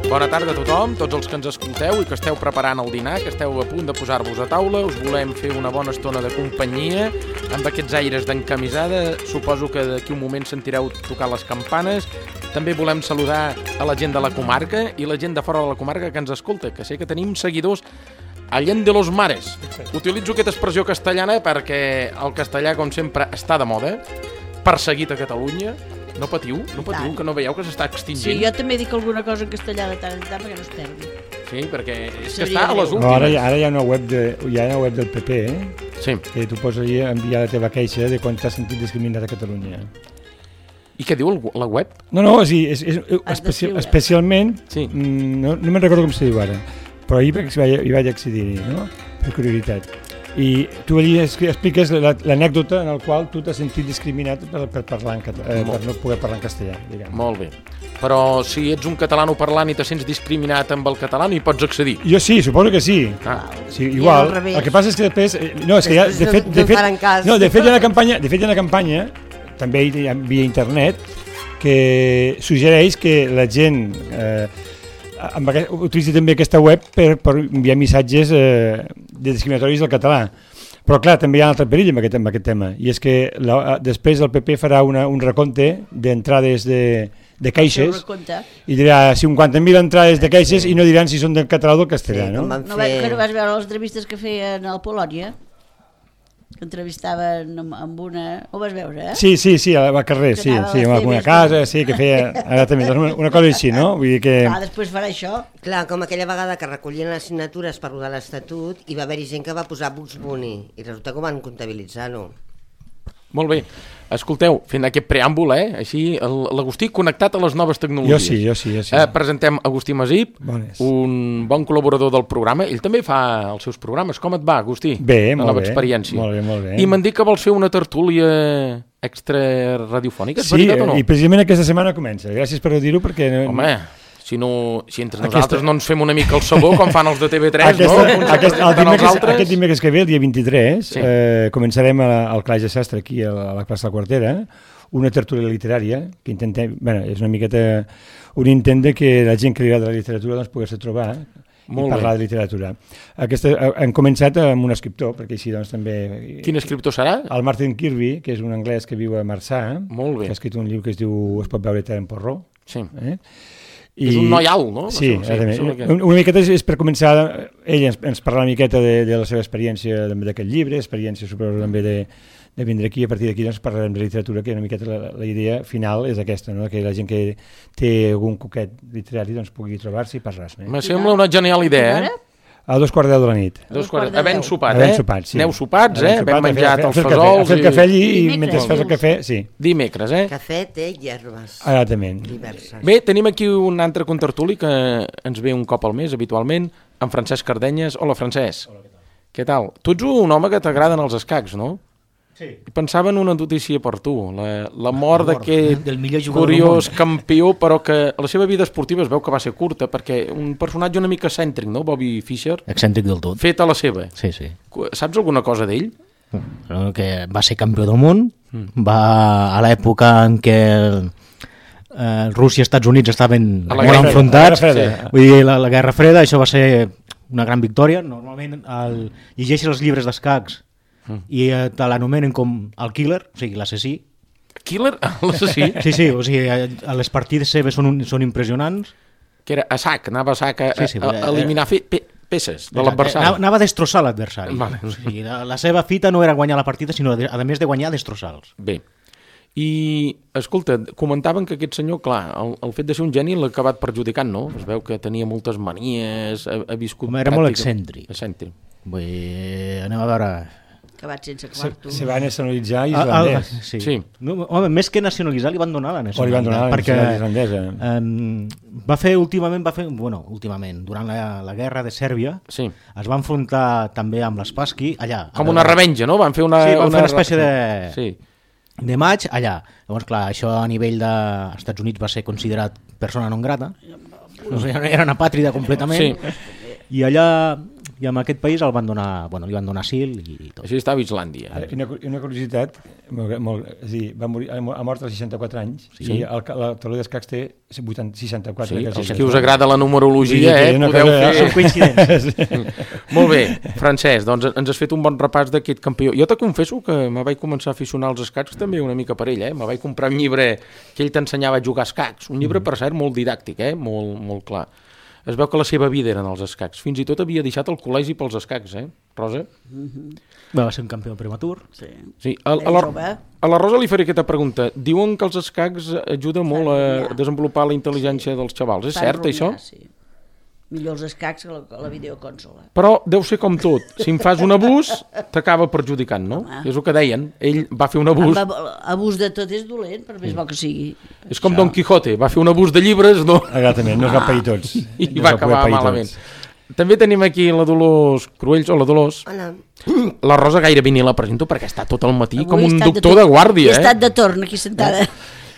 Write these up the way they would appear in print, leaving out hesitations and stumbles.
Bona tarda a tothom, tots els que ens escolteu i que esteu preparant el dinar, que esteu a punt de posar-vos a taula. Us volem fer una bona estona de companyia amb aquests aires d'encamisada. Suposo que d'aquí un moment sentireu tocar les campanes. També volem saludar a la gent de la comarca i la gent de fora de la comarca que ens escolta, que sé que tenim seguidors a Llen de los Mares. Utilitzo aquesta expressió castellana perquè el castellà, com sempre, està de moda, perseguit a Catalunya. No patiu, que no veieu que s'està extingint. Sí, jo també dic alguna cosa en castellà de tant en tant perquè no es perdi. Sí, perquè és que està a les últimes. No, ara hi ha una web del PP, sí, que tu pots allà enviar la teva queixa de quan t'has sentit discriminat a Catalunya. I què diu la web? No, és especialment, sí. No me'n recordo com se diu ara, però ahir hi vaig accedir-hi, no? Per curiositat. I tu allí expliques l'anècdota en la qual tu t'has sentit discriminat per no poder parlar en castellà, diguem. Molt bé. Però si ets un catalanoparlant i te sents discriminat amb el català, no hi pots accedir. Jo sí, suposo que sí. Sí, igual. El que passa és que després... No, és que ja, de fet hi ha una campanya, també hi ha via internet, que suggereix que la gent utilitzi també aquesta web per enviar missatges discriminatoris del català. Però clar, també hi ha un altre perill amb aquest tema, i és que després el PP farà un recompte d'entrades de queixes i dirà 50.000 entrades de queixes i no diran si són del català o del castellà, no? No vas veure les entrevistes que feien al Polònia? Que entrevistaven amb una... Ho vas veure, eh? Sí, al carrer, sí, amb una casa, sí, que feia... Ara també, una cosa així, no? Vull dir que... Després farà això. Clar, com aquella vegada que recollien les signatures per rodar l'Estatut i va haver-hi gent que va posar Bugs Bunny i resulta que ho van comptabilitzar-ho. Molt bé. Escolteu, fent aquest preàmbul, així, l'Agustí connectat a les noves tecnologies. Jo sí. Presentem Agustí Masip, un bon col·laborador del programa. Ell també fa els seus programes. Com et va, Agustí? Bé, molt bé. Experiència. Molt bé. I m'han dit que vols fer una tertúlia extra radiofònica, és veritat o no? Sí, i precisament aquesta setmana comença. Gràcies per dir-ho perquè... Home, si entre nosaltres no ens fem una mica el sabó com fan els de TV3, Aquest dimecres que ve, el dia 23, començarem al Calaix de Sastre, aquí a la plaça de la Quartera, una tertúlia literària, que intentem, és una miqueta un intent de que la gent que li agrada la literatura doncs pogués trobar i parlar de literatura. Hem començat amb un escriptor, perquè així doncs també... Quin escriptor serà? El Martin Kirby, que és un anglès que viu a Marçà, que ha escrit un llibre que es diu Es pot veure tant en porró. Sí. És un noi alt, no? Sí, una miqueta és per començar. Ell ens parla una miqueta de la seva experiència d'aquest llibre, experiència suposo també de vindre aquí, a partir d'aquí doncs parlarem de literatura, que una miqueta la idea final és aquesta, no? Que la gent que té algun coquet literari doncs pugui trobar-se i parlar-se. Me sembla una genial idea, A 2:10 de la nit. Havent sopat, sí. Aneu sopats, ben menjat els fesols. Fer el cafè allí i mentre fas el cafè, sí. Dimecres, Cafè, té i herbes. Exactament. Diverses. Bé, tenim aquí un altre contertuli que ens ve un cop al mes, habitualment, en Francesc Cardenyes. Hola, Francesc. Hola, què tal? Tu ets un home que t'agraden els escacs, no? Sí. Pensava en una notícia per tu, la mort d'aquest curiós campió, però que la seva vida esportiva es veu que va ser curta, perquè un personatge una mica excèntric, no? Bobby Fischer. Excèntric del tot. Fet a la seva. Sí. Saps alguna cosa d'ell? Que va ser campió del món, va a l'època en què Rússia i Estats Units estaven molt enfrontats, vull dir, la Guerra Freda, això va ser una gran victòria. Normalment llegeixes els llibres d'escacs i te l'anomenen com el killer, o sigui, l'assassí. Killer? L'assassí? Sí, o sigui, les partides seves són impressionants. Que era a sac, anava a sac a eliminar peces de l'adversari. Anava a destrossar l'adversari. Vale. O sigui, la seva fita no era guanyar la partida, sinó a més de guanyar, destrossar-los. Bé. I, escolta, comentaven que aquest senyor, clar, el fet de ser un geni l'ha acabat perjudicant, no? Es veu que tenia moltes manies, ha viscut... Era molt excèntric. Vull dir, anem a veure... Acabat sense quarto. Se va nacionalitzar islandès. Sí. No, home, més que nacionalitzar li van donar la nacionalitat. Perquè va fer últimament, durant la guerra de Sèrbia, es va enfrontar també amb l'Spassky allà. Com una revenja, no? Van fer una espècie de maig allà. Llavors, clar, això a nivell dels Estats Units va ser considerat persona non grata. Era una pàtrida completament. I allà I en aquest país li van donar asil i tot. Així estava a Islàndia. Una curiositat, és dir, va morir, ha mort als 64 anys, i la taula d'escacs té 64. Sí, els que us agrada la numerologia, podeu fer... Són coincidents. Molt bé, Francesc, doncs ens has fet un bon repàs d'aquest campió. Jo te confesso que me vaig començar a aficionar als escacs també una mica per ell, me vaig comprar un llibre que ell t'ensenyava a jugar escacs, un llibre, per cert, molt didàctic, molt clar. Es veu que la seva vida eren els escacs. Fins i tot havia deixat el col·legi pels escacs, Rosa? Va ser un campió prematur. Sí. A la Rosa li faré aquesta pregunta. Diuen que els escacs ajuden molt a desenvolupar la intel·ligència dels xavals. És cert, això? Sí. Millor els escacs que la videoconsola. Però deu ser com tot. Si en fas un abús, t'acaba perjudicant, no? És el que deien. Ell va fer un abús... Abús de tot és dolent, per més bo que sigui. És com Don Quijote. Va fer un abús de llibres, no? Exactament, no es va pair tots. I va acabar malament. També tenim aquí la Dolors Cruells, o la Dolors. Hola. La Rosa gairebé ni la presento perquè està tot el matí com un doctor de guàrdia. He estat de torn aquí sentada.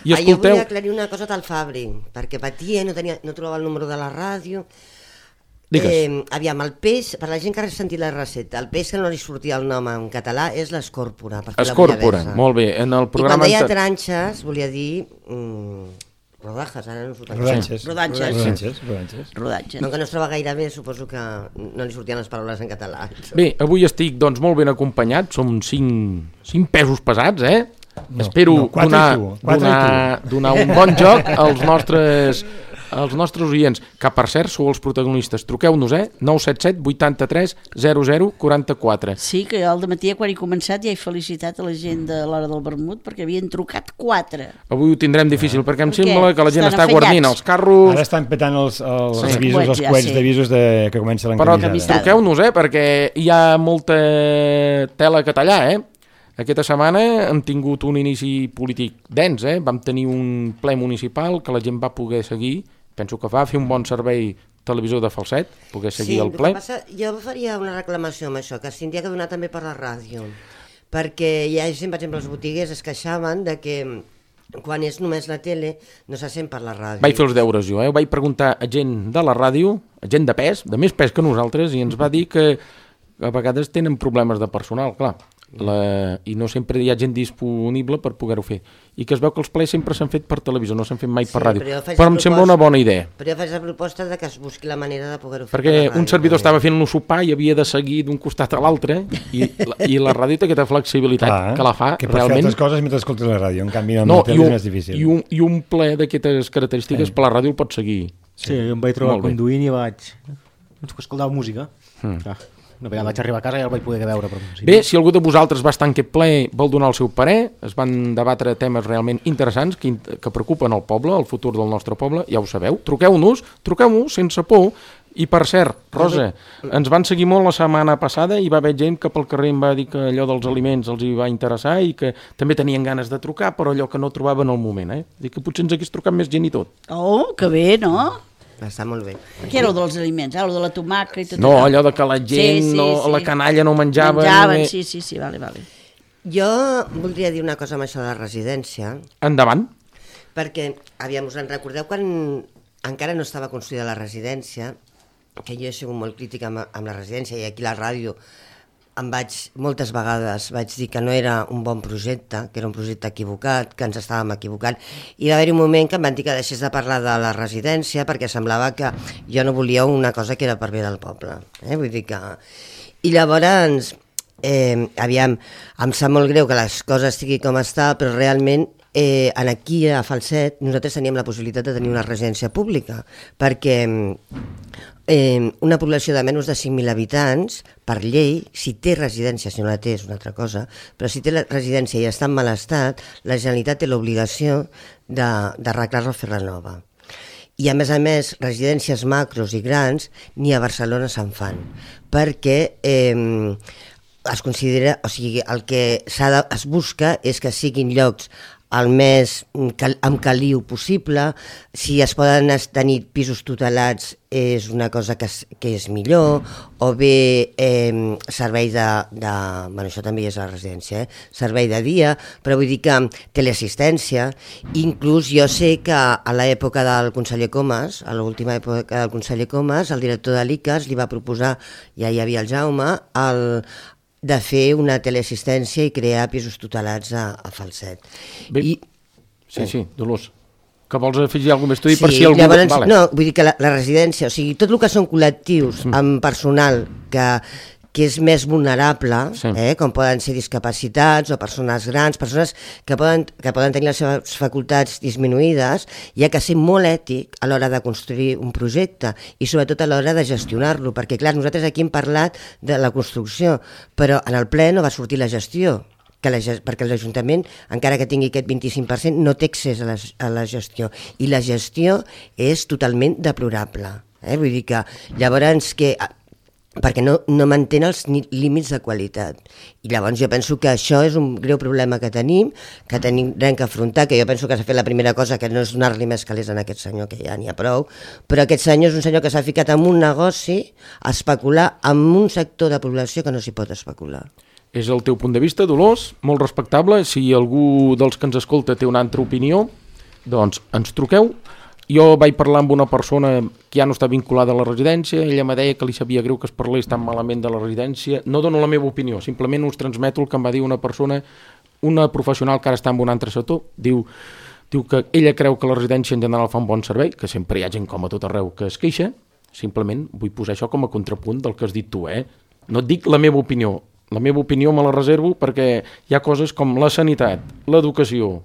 I escolteu... Jo volia aclarir una cosa al Fabri, perquè patia, no trobava el número de la ràdio. Aviam, el peix, per la gent que ha sentit la recepta, el peix que no li sortia el nom en català és l'escòrpora. Escòrpora, molt bé. En el programa... I quan deia tranxes, volia dir... rodajes, ara no surten. Rodatges. Com que no es troba gaire bé, suposo que no li sortien les paraules en català. Bé, avui estic doncs molt ben acompanyat, som 5 pesos pesats, Espero donar un bon joc als nostres oients, que per cert sou els protagonistes. Truqueu-nos, 977 83 00 44. Sí, que jo al dematí quan he començat ja he felicitat a la gent de l'Hora del Vermut perquè havien trucat 4. Avui ho tindrem difícil perquè em sembla que la gent està guarnint els carros. Ara estan petant els avisos, els coets d'avisos que comença l'encamisada. Però truqueu-nos, perquè hi ha molta tela que tallar, Aquesta setmana hem tingut un inici polític dens, Vam tenir un ple municipal que la gent va poder seguir, penso que va fer un bon servei televisor de Falset, poder seguir el ple. Jo faria una reclamació amb això, que s'hauria que donar també per la ràdio, perquè hi ha gent, per exemple, els botiguers es queixaven de que quan és només la tele no se sent per la ràdio. Vaig fer els deures jo, Vaig preguntar a gent de la ràdio, a gent de pes, de més pes que nosaltres, i ens va dir que a vegades tenen problemes de personal, clar. I no sempre hi ha gent disponible per poder-ho fer, i que es veu que els plens sempre s'han fet per televisió, no s'han fet mai per ràdio, però em sembla una bona idea. Però jo faig la proposta de que es busqui la manera de poder-ho fer perquè un servidor estava fent un sopar i havia de seguir d'un costat a l'altre, i la ràdio té aquesta flexibilitat que la fa que realment... fer altres coses mentre escoltes la ràdio, en canvi la tele és més difícil. I un ple d'aquestes característiques per la ràdio el pots seguir. Sí, jo em vaig trobar conduint i vaig escoltar música. Una vegada vaig arribar a casa i ja el vaig poder veure. Bé, si algú de vosaltres va estar en aquest ple, vol donar el seu parer, es van debatre temes realment interessants que preocupen el poble, el futur del nostre poble, ja ho sabeu. Truqueu-nos sense por. I per cert, Rosa, ens van seguir molt la setmana passada i va haver gent que pel carrer em va dir que allò dels aliments els hi va interessar i que també tenien ganes de trucar, però allò que no trobaven al moment. Dic que potser ens hagués trucat més gent i tot. Oh, que bé, no? Està molt bé. Què era el dels aliments? El de la tomaca i tot no, allò de que la gent, la canalla no menjava... Menjaven, sí, vale. Jo voldria dir una cosa amb això de la residència. Endavant. Perquè, aviam, us en recordeu quan encara no estava construïda la residència, que jo he sigut molt crítica amb la residència i aquí a la ràdio moltes vegades vaig dir que no era un bon projecte, que era un projecte equivocat, que ens estàvem equivocant, i va haver-hi un moment que em van dir que deixés de parlar de la residència perquè semblava que jo no volia una cosa que era per bé del poble. Vull dir que... I llavors, aviam, em sap molt greu que les coses estigui com està, però realment aquí a Falset nosaltres teníem la possibilitat de tenir una residència pública, perquè una població de menys de 5.000 habitants, per llei, si té residència, si no la té és una altra cosa, però si té la residència i està en mal estat, la Generalitat té l'obligació d'arreglar-la o fer-la nova. I a més, residències macros i grans ni a Barcelona se'n fan, perquè es considera, o sigui, el que es busca és que siguin llocs el més amb caliu possible. Si es poden tenir pisos tutelats és una cosa que és millor, o bé servei bueno, això també és a la residència, servei de dia, però vull dir que teleassistència. Inclús jo sé que a l'època del conseller Comas, a l'última època del conseller Comas, el director de l'ICAS li va proposar, ja hi havia el Jaume, de fer una teleassistència i crear pisos tutelats a Falset. Bé, sí, Dolors, que vols afegir alguna més? Per si algú... Llavors, no, vull dir que la residència, o sigui, tot el que són col·lectius amb personal que és més vulnerable, com poden ser discapacitats o persones grans, persones que poden tenir les seves facultats disminuïdes, hi ha que ser molt ètic a l'hora de construir un projecte i sobretot a l'hora de gestionar-lo, perquè clar, nosaltres aquí hem parlat de la construcció, però en el ple no va sortir la gestió, perquè l'Ajuntament, encara que tingui aquest 25%, no té accés a la gestió, i la gestió és totalment deplorable. Vull dir que llavors perquè no mantén els límits de qualitat. I llavors jo penso que això és un greu problema que tenim que afrontar, que jo penso que s'ha fet la primera cosa, que no és donar-li més calés a aquest senyor, que ja n'hi ha prou, però aquest senyor és un senyor que s'ha ficat en un negoci a especular amb un sector de població que no s'hi pot especular. És el teu punt de vista, Dolors, molt respectable. Si algú dels que ens escolta té una altra opinió, doncs ens truqueu. Jo vaig parlar amb una persona que ja no està vinculada a la residència, ella me deia que li sabia greu que es parlés tan malament de la residència. No dono la meva opinió, simplement us transmeto el que em va dir una persona, una professional que ara està en un altre sector, diu que ella creu que la residència en general fa un bon servei, que sempre hi ha gent com a tot arreu que es queixa, simplement vull posar això com a contrapunt del que has dit tu, No et dic la meva opinió me la reservo perquè hi ha coses com la sanitat, l'educació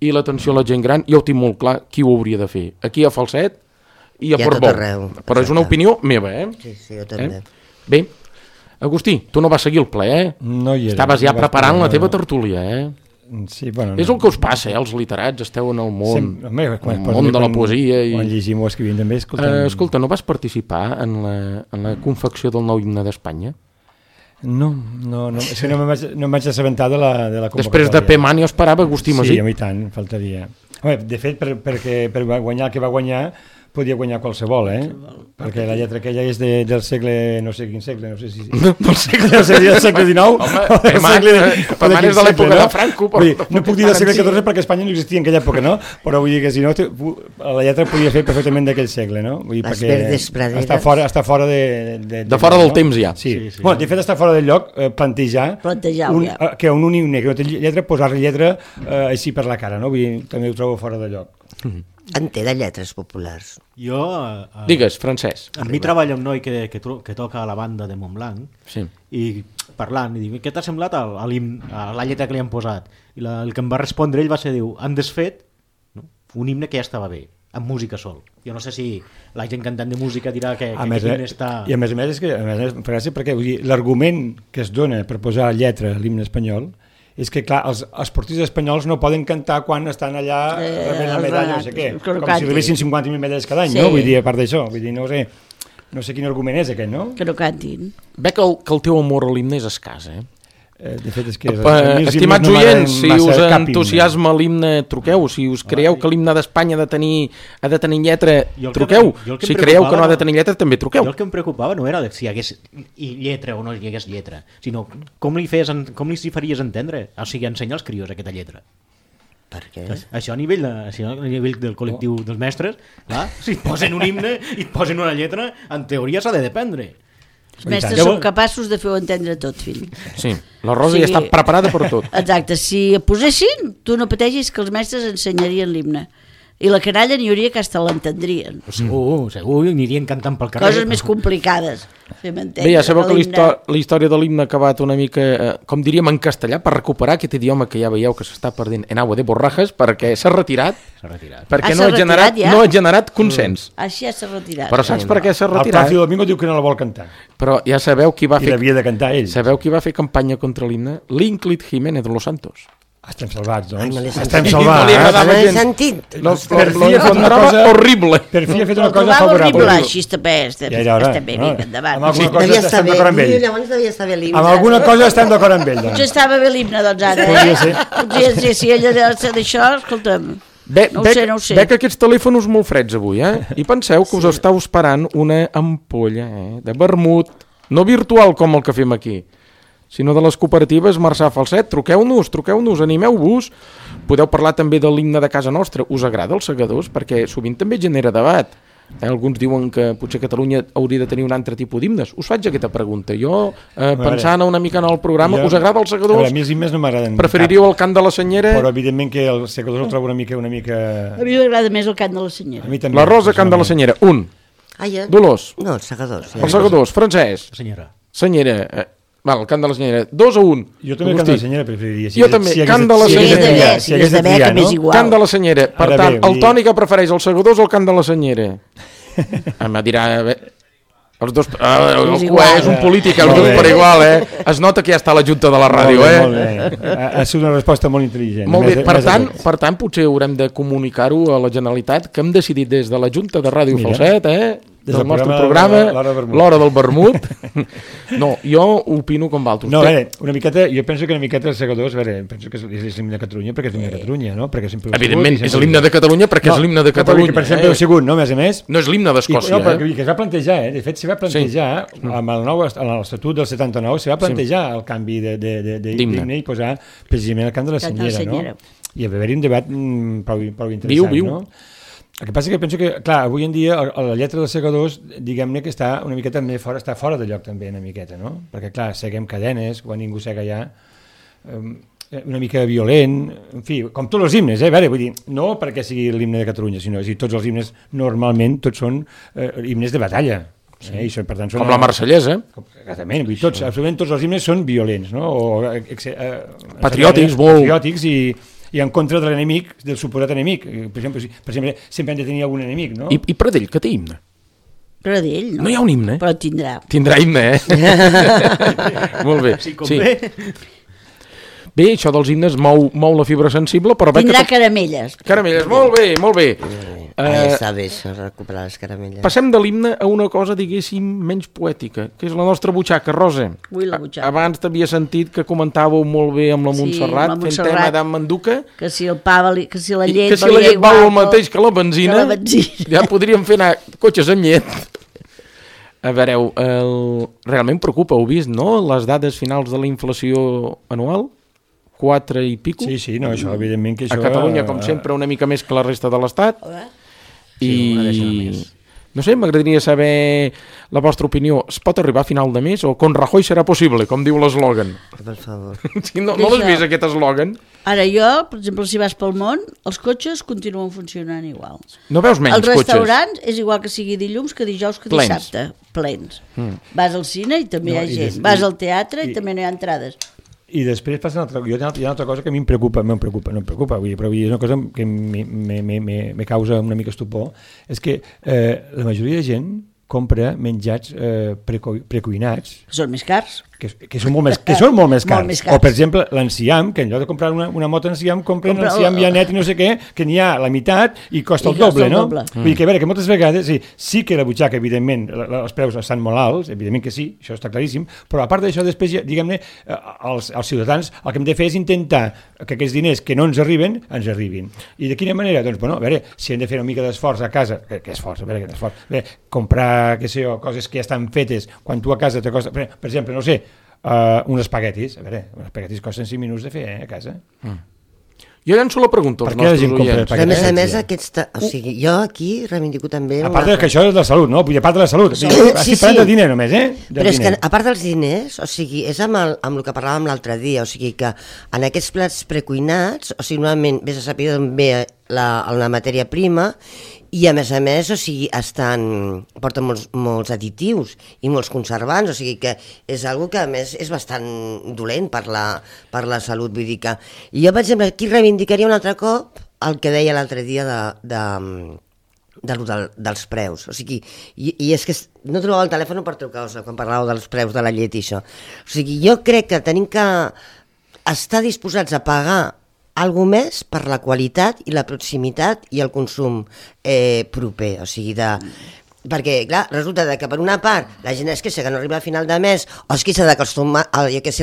i l'atenció a la gent gran, jo ho tinc molt clar qui ho hauria de fer, aquí a Falset i a Portbou, però és una opinió meva, Sí, jo també. Bé, Agustí, tu no vas seguir el ple, No hi era. Estaves ja preparant la teva tertúlia, Sí, bueno, És el que us passa, els literats, esteu en el món, el món de la poesia. Quan llegim o escrivim també, escolta, no vas participar en la confecció del nou himne d'Espanya? No, és que no em vaig assabentar de la convocatòria. Després de Peman jo esperava Agustí Masí. Sí, a mi tant, faltaria. Home, de fet, perquè per guanyar el que va guanyar, podia guanyar qualsevol, perquè la lletra aquella és del segle, no sé quin segle, no sé si... Del segle XIX? Home, Peman és de l'època de Franco. No puc dir del segle XIV perquè Espanya no existia en aquella època, no? Però vull dir que si no, la lletra podia fer perfectament d'aquell segle, no? Les verdes praderes... Està fora de fora del temps ja. Sí. Bueno, de fet està fora del lloc plantejar que un himne que no té lletra, posar-li lletra així per la cara, no? Vull dir, també ho trobo fora de lloc. En té de lletres populars. Jo... Digues, Francesc. A mi treballa un noi que toca a la banda de Montblanc i parlant, i dic, què t'ha semblat a la lletra que li han posat? I el que em va respondre ell va ser, han desfet un himne que ja estava bé, amb música sol. Jo no sé si la gent cantant de música dirà que aquest himne està... I a més és que, gràcies, perquè l'argument que es dona per posar lletra a l'himne espanyol és que, clar, els esportistes espanyols no poden cantar quan estan allà rebent la medalla, no sé què, com si rebessin 50.000 medalles cada any, no? Vull dir, a part d'això, no sé quin argument és aquest, no? Que no cantin. Veig que el teu amor a l'himne és escàs, De fet, és que... Estimats oients, si us entusiasma l'himne, truqueu. Si us creieu que l'himne d'Espanya ha de tenir lletra, truqueu. Si creieu que no ha de tenir lletra, també truqueu. Jo el que em preocupava no era si hi hagués lletra o no hi hagués lletra, sinó com li faries entendre, o sigui, ensenyar als crios aquesta lletra. Per què? Això a nivell del col·lectiu dels mestres, clar, si et posen un himne i et posen una lletra, en teoria s'ha de dependre. Els mestres són capaços de fer-ho entendre tot, fill. Sí, la Rosa ja està preparada per tot. Exacte, si posessin, tu no pateixis que els mestres ensenyarien l'himne. I la canalla n'hi hauria que hasta l'entendrien. Segur, anirien cantant pel carrer. Coses més complicades. Bé, ja sabeu que la història de l'himne ha acabat una mica, com diríem en castellà, per recuperar aquest idioma que ja veieu que s'està perdent en agua de borrajas, perquè s'ha retirat. Perquè no ha generat consens. Així ja s'ha retirat. Però saps per què s'ha retirat? El Plácido Domingo diu que no la vol cantar. Però ja sabeu qui va fer... I l'havia de cantar ell. Sabeu qui va fer campanya contra l'himne? L'Ínclit Jiménez de los Santos. Estem salvats, doncs. Ai, me l'he sentit. Estem salvats. Me l'he sentit. Lo encontrava horrible. Per fi ha fet una Ho cosa trobava favorable. horrible, així està bé, Ja era hora. estem bé, vinga, endavant. Amb alguna cosa Devia estar estem bé. d'acord amb ell. Llavors devia estar bé l'himne. Amb alguna cosa estem d'acord amb ell, Potser doncs. estava bé l'himne, doncs, ara. Podria ser. Potser ser, si ella deu ser d'això, escolta'm. No ho sé. Veig aquests telèfons molt freds avui, I penseu que us estàu esperant una ampolla, de vermut, no virtual com el que fem aquí, sinó de les cooperatives Marçà Falset. Truqueu-nos, animeu-vos. Podeu parlar també de l'himne de casa nostra. Us agrada els segadors? Perquè sovint també genera debat. Alguns diuen que potser Catalunya hauria de tenir un altre tipus d'himnes. Us faig aquesta pregunta. Jo, pensant una mica en el programa, us agrada els segadors? A mi els himnes no m'agraden. Preferiríeu el cant de la senyera? Però evidentment que els segadors el trobo una mica... A mi m'agrada més el cant de la senyera. A mi també. La Rosa, cant de la senyera. Dolors. No, els segadors. Els segadors. Francesc. Senyera. Val, el cant de la senyera. 2-1. Jo també el cant de la senyera preferiria. Jo també, cant de la senyera. Si hagués de triar, no? Cant de la senyera. Per tant, el Toni que prefereix els segadors o el cant de la senyera? Em dirà... Els dos... és un polític, els dos per igual, Es nota que ja està a la junta de la ràdio, Molt bé. Ha sigut una resposta molt intel·ligent. Molt bé, per tant, potser haurem de comunicar-ho a la Generalitat, que hem decidit des de la junta de Ràdio Falset, del nostre programa, l'hora del vermut. No, jo opino com vosaltres. No, a veure, jo penso que una miqueta els segadors, penso que és l'himne de Catalunya perquè és l'himne de Catalunya, no? Evidentment, és l'himne de Catalunya perquè és l'himne de Catalunya. Per exemple, el segon, no? A més. No és l'himne d'Escòcia. No, perquè es va plantejar, de fet, s'hi va plantejar, amb l'Estatut del 79, s'hi va plantejar el canvi d'himne i posar precisament el cant de la senyera, no? I va haver-hi un debat prou interessant, no? El que passa que penso que, clar, avui en dia la lletra dels segadors, diguem-ne que està una miqueta més fora, està fora de lloc també una miqueta, no? Perquè, clar, seguem cadenes, quan ningú sega ja, una mica violent, en fi, com tots els himnes, vull dir, no perquè sigui l'himne de Catalunya, sinó que tots els himnes normalment tots són himnes de batalla. I són, per tant, són, com la marsellesa. Exactament, vull dir, absolutament tots els himnes són violents, no? Patriòtics, patriòtics i en contra de l'enemic, del suposat enemic. Per exemple, sempre hem de tenir algun enemic, no? I Pradell, que té himne? Pradell, no? No hi ha un himne? Però tindrà. Tindrà himne, Molt bé. Sí. Bé, això dels himnes mou la fibra sensible, però... Tindrà caramelles. Caramelles, molt bé. Està bé, això, recuperar les caramelles. Passem de l'himne a una cosa, diguéssim, menys poètica, que és la nostra butxaca. Rosa, Ui, la butxaca. Abans t'havia sentit que comentàveu molt bé amb la Montserrat, fent tema d'en Manduca. Que si el pa que si la llet val el mateix que la benzina, ja podríem fer anar cotxes amb llet. A veure, realment preocupa, heu vist, no?, les dades finals de la inflació anual? 4 i pico. Sí, no, això, evidentment que això... A Catalunya, com sempre, una mica més que la resta de l'Estat. I... No sé, m'agradaria saber la vostra opinió. Es pot arribar a final de mes o con Rajoy serà possible, com diu l'eslògan? Per favor. Sí, no l'has vist, aquest eslògan? Ara jo, per exemple, si vas pel món, els cotxes continuen funcionant igual. No veus menys cotxes? Els restaurants és igual que sigui dilluns, que dijous, que dissabte. Plens. Vas al cine i també hi ha gent. Vas al teatre i també no hi ha entrades. I després passa una altra, hi ha una altra cosa que a mi em preocupa, vull dir, però és una cosa que me causa una mica estupor, és que la majoria de gent compra menjats precuinats. Que són més cars. Que són molt més cars. O, per exemple, l'enciam, que en lloc de comprar una moto enciam, compren enciam ja net i no sé què, que n'hi ha la meitat i costa el doble, no? Vull dir que, a veure, que moltes vegades sí que la butxaca, evidentment, els preus estan molt alts, evidentment que sí, això està claríssim, però a part d'això, després, diguem-ne, els ciutadans el que hem de fer és intentar que aquests diners que no ens arribin. I de quina manera? Doncs, bueno, a veure, si hem de fer una mica d'esforç a casa, que esforç, a veure, comprar, què sé jo, coses que ja estan fetes, quan tu a casa te costa, per exemple, no sé, uns espaguetis, a veure, uns espaguetis costen 5 minuts de fer, a casa. Jo llanço la pregunta als nostres oients. A més, o sigui, jo aquí reivindico també... A part que això és de salut, no? Vull dir, a part de la salut. Estic parlant de diner només, Però és que, a part dels diners, o sigui, és amb el que parlàvem l'altre dia, o sigui que en aquests plats precuinats, o sigui, normalment vés a saber d'on ve la matèria prima i a més, o sigui, porten molts additius i molts conservants, o sigui que és algo que a més és bastant dolent per la salut, vull dir que... I jo, per exemple, aquí reivindicaria un altre cop el que deia l'altre dia dels preus, o sigui, i és que no trobava el telèfon per trucar-vos quan parlàveu dels preus de la llet i això, o sigui, jo crec que tenim que estar disposats a pagar algo més per la qualitat i la proximitat i el consum proper, o sigui, perquè, clar, resulta que per una part la gent es queixa que no arriba a final de mes o es queixa que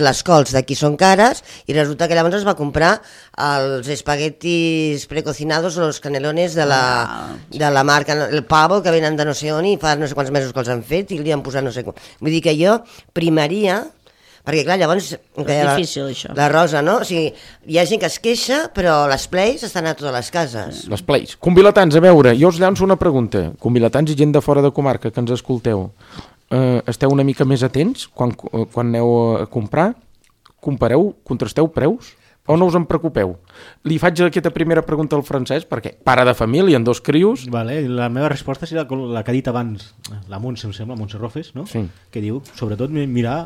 les cols d'aquí són cares i resulta que llavors es va comprar els espaguetis precocinados o els canelones de la marca, el pavo que venen de no sé on i fa no sé quants mesos que els han fet i li han posat no sé com. Vull dir que jo primaria, perquè clar, llavors és difícil això. La Rosa, no? O sigui, hi ha gent que es queixa però les plays estan a totes les cases. Les plays. Convilatans, a veure, jo us llanço una pregunta. Convilatans i gent de fora de comarca que ens escolteu, esteu una mica més atents quan aneu a comprar? Compareu, contrasteu preus? O no us en preocupeu? Li faig aquesta primera pregunta al Francesc, perquè pare de família, amb 2 crios... Vale, la meva resposta serà la que ha dit abans la Montse, em sembla, Montse Rofes, no? Sí. Que diu, sobretot, mirar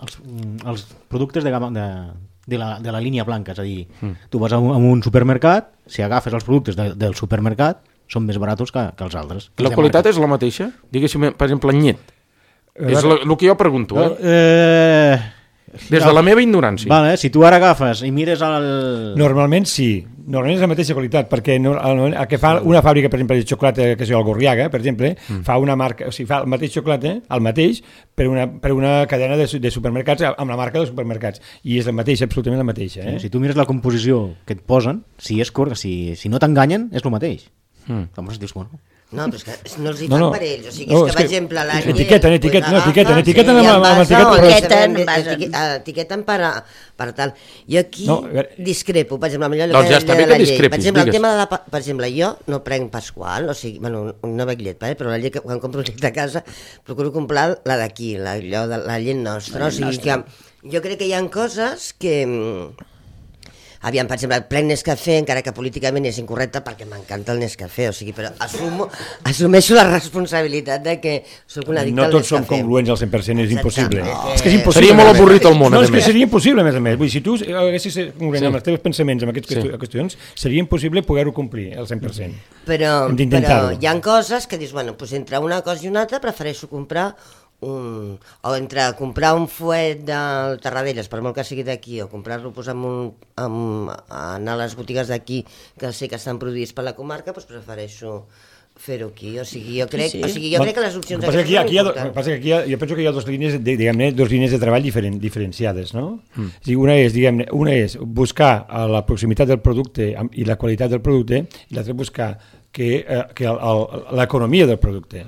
els productes de la línia blanca, és a dir, tu vas a un supermercat, si agafes els productes del supermercat, són més barats que els altres. La qualitat és la mateixa? Diguéssim, per exemple, en llet. És el que jo pregunto, Des de la meva ignorància. Vale, si tu ara agafes i mires el... Normalment sí, normalment és la mateixa qualitat, perquè el que fa una fàbrica, per exemple, de xocolata, que és el Gorriaga, per exemple, fa una marca, o sigui, fa el mateix xocolata, el mateix, per una cadena de supermercats amb la marca dels supermercats, i és la mateixa, absolutament la mateixa. Si tu mires la composició que et posen, si no t'enganyen, és el mateix. Llavors dius, bueno... No, però és que no els hi fan per ells, o sigui, és que, per exemple, la llet... Etiqueten per tal. Jo aquí discrepo, per exemple, millor doncs ja està bé que discrepis, per exemple, el tema de per exemple, jo no prenc Pasqual, o sigui, bueno, no bec llet, però la llet, quan compro llet de casa, procuro comprar la d'aquí, la llet nostra, o sigui que jo crec que hi ha coses que... Aviam, per exemple, prenc Nescafé, encara que políticament és incorrecte perquè m'encanta el Nescafé, o sigui, però assumeixo la responsabilitat de que soc una addicta al Nescafé. No tots som congruents al 100%, és impossible. És que és impossible. Seria molt avorrit el món, no, és que seria impossible, a més a més. Vull dir, si tu haguessis congruent amb els teus pensaments en aquestes qüestions, seria impossible poder-ho complir al 100%. Però hi ha coses que dius, bueno, doncs entre una cosa i una altra prefereixo comprar o entre comprar un fuet del Tarradellas, per molt que sigui d'aquí, o comprar-lo anar a les botigues d'aquí que sé que estan produïts per la comarca, doncs prefereixo fer-ho aquí, o sigui, jo crec que les opcions aquestes són importants. Jo penso que hi ha dues línies de treball diferenciades, no? Una és buscar la proximitat del producte i la qualitat del producte, i l'altra buscar que l'economia del producte.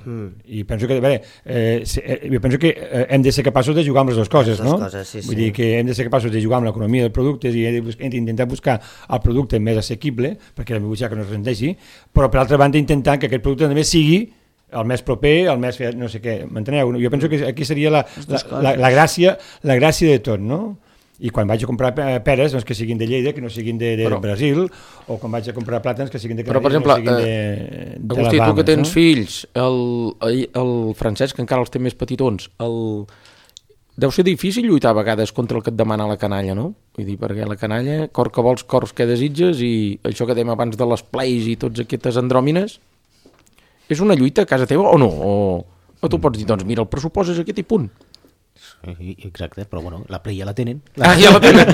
I penso que hem de ser capaços de jugar amb les dues coses, no? Vull dir que hem de ser capaços de jugar amb l'economia del producte i hem d'intentar buscar el producte més assequible, perquè la butxaca no es rendeixi, però per altra banda intentar que aquest producte també sigui el més proper, el més no sé què, m'enteneu? Jo penso que aquí seria la gràcia de tot, no? I quan vaig a comprar peres, doncs que siguin de Lleida, que no siguin de Brasil, o quan vaig a comprar plàtans, que siguin de Canàries, que no siguin de Agustí, tu que tens fills, el Francesc encara els té més petitons, deu ser difícil lluitar a vegades contra el que et demana la canalla, no? Vull dir, perquè la canalla, cor que vols, cors que desitges, i això que dèiem abans de les plays i tots aquestes andròmines, és una lluita a casa teva o no? O tu pots dir, doncs mira, el pressupost és aquest i punt. Exacte, però bueno, la Play ja la tenen. Ja la tenen.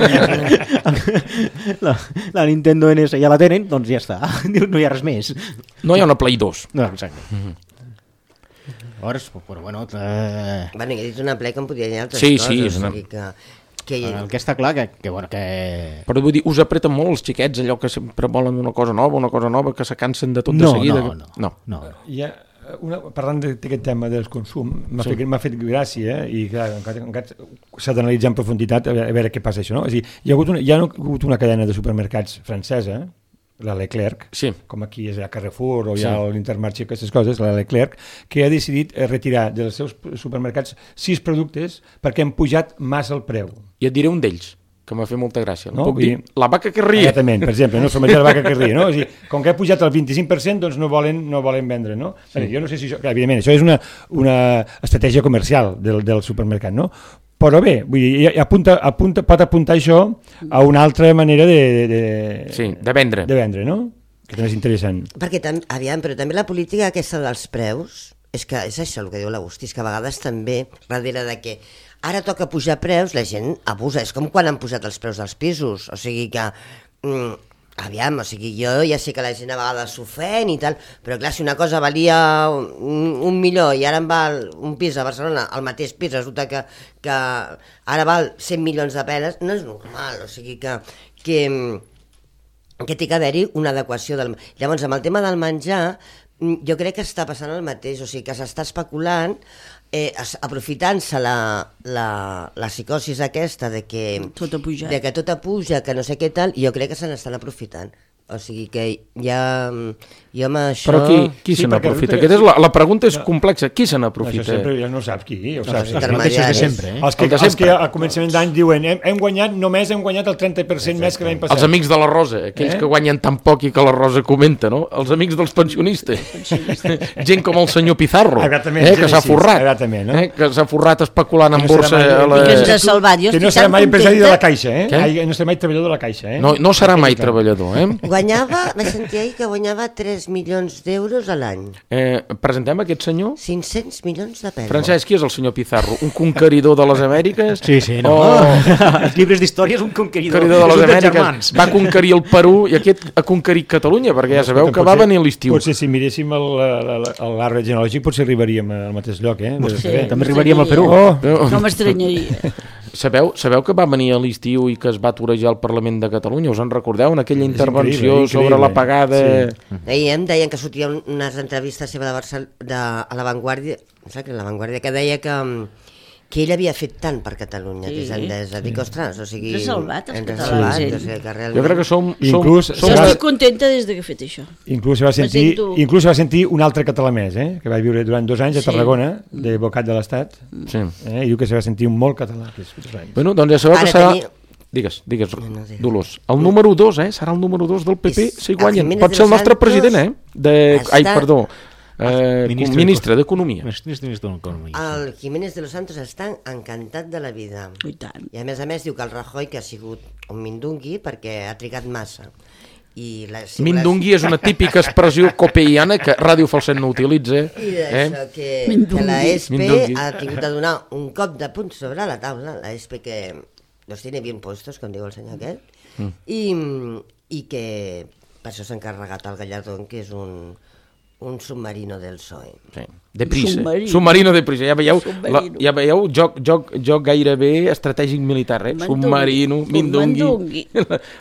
La Nintendo NS ja la tenen, doncs ja està. No hi ha res més. No hi ha una Play 2. No, exacte. Llavors, però bueno... Bueno, he dit una Play que em podia dir altres coses. Sí, és una... El que està clar que bueno, que... Però vull dir, us apreten molt els xiquets, allò que sempre volen una cosa nova, que se cansen de tot de seguida. No. Parlant d'aquest tema del consum, m'ha fet gràcia, i clar, encara s'ha d'analitzar en profunditat a veure què passa això, no? És a dir, hi ha hagut una cadena de supermercats francesa, la Leclerc, com aquí és a Carrefour o hi ha l'Intermarché, aquestes coses, la Leclerc, que ha decidit retirar dels seus supermercats 6 productes perquè han pujat massa el preu. I et diré un d'ells, que m'ha fet molta gràcia. No? Puc dir? La vaca que ria. Exactament, per exemple, no? La vaca que ria, no? O sigui, com que ha pujat el 25%, doncs no volen vendre, no? Sí. Jo no sé si això... Clar, evidentment, això és una estratègia comercial del supermercat, no? Però bé, vull dir, pot apuntar això a una altra manera de vendre. De vendre, no? Que també és interessant. Perquè, però també la política aquesta dels preus, és que és això el que diu l'Agustí, és que a vegades també, darrere de que ara toca pujar preus, la gent abusa. És com quan han pujat els preus dels pisos. O sigui que aviam, o sigui, jo ja sé que la gent a vegades s'ofèn i tal, però clar, si una cosa valia 1 milió i ara em val un pis a Barcelona, el mateix pis, resulta que ara val 100 milions de peles, no és normal, o sigui que té que haver-hi una adequació del... Llavors, amb el tema del menjar, jo crec que està passant el mateix, o sigui, que s'està especulant, aprofitant-se la psicosis aquesta de que tot puja, que no sé què tal, i jo crec que se n'estan aprofitant. O sigui que ja... Jo amb això... Però qui se n'aprofita? La pregunta és complexa. Qui se n'aprofita? Això sempre ja no saps qui, ho saps. Els mateixos de sempre. Els que a començament d'any diuen hem guanyat el 30% més que l'any passat. Els amics de la Rosa, aquells que guanyen tan poc i que la Rosa comenta, no? Els amics dels pensionistes. Gent com el senyor Pizarro, que s'ha forrat. Que s'ha forrat especulant en borsa. I que ens ha salvat. Que no serà mai empresari de la Caixa, no serà mai treballador de la Caixa. No serà mai treballador, vaig sentir ahir que guanyava 3 milions d'euros a l'any. Presentem aquest senyor? 500 milions de pesos. Francesc, qui és el senyor Pizarro? Un conqueridor de les Amèriques? Sí, no. Els llibres d'història és un conqueridor de les Amèriques. Va conquerir el Perú i aquest ha conquerit Catalunya, perquè ja sabeu que va venir a l'estiu. Potser si miréssim l'arbre genealògic potser arribaríem al mateix lloc, També arribaríem al Perú. No m'estranyaria. Sabeu que va venir a l'estiu i que es va torejar al Parlament de Catalunya? Us en recordeu? En aquella intervenció sobre la pagada... Deien que sortien unes entrevistes seva a La Vanguardia, que deia que ell havia fet tant per Catalunya des d'Endesa. Dic, ostres, o sigui... Ens ha salvat, els catalans. Jo crec que som... Jo estic contenta des que he fet això. Inclús va sentir un altre català més, que va viure durant 2 anys a Tarragona, de Bocat de l'Estat, i diu que se va sentir molt català. Bueno, doncs ja sabeu que serà... Digues, Dolors. El número 2, serà el número 2 del PP si guanyen. Pot ser el nostre president, ministre d'Economia. El Jiménez de los Santos està encantat de la vida. I a més diu que el Rajoy, que ha sigut un mindungui perquè ha trigat massa. Mindungui és una típica expressió copeiana que Ràdio Falset no utilitza. I d'això que la ESPE ha tingut de donar un cop de punt sobre la taula, la ESPE que los tiene bien puestos, com diu el senyor aquest, i que per això s'ha encarregat el Gallardón, que és un submarino del PSOE. Sí, de prisa. Submarino de prisa. Ja veieu joc gairebé estratègic militar, Submarino, mindungui.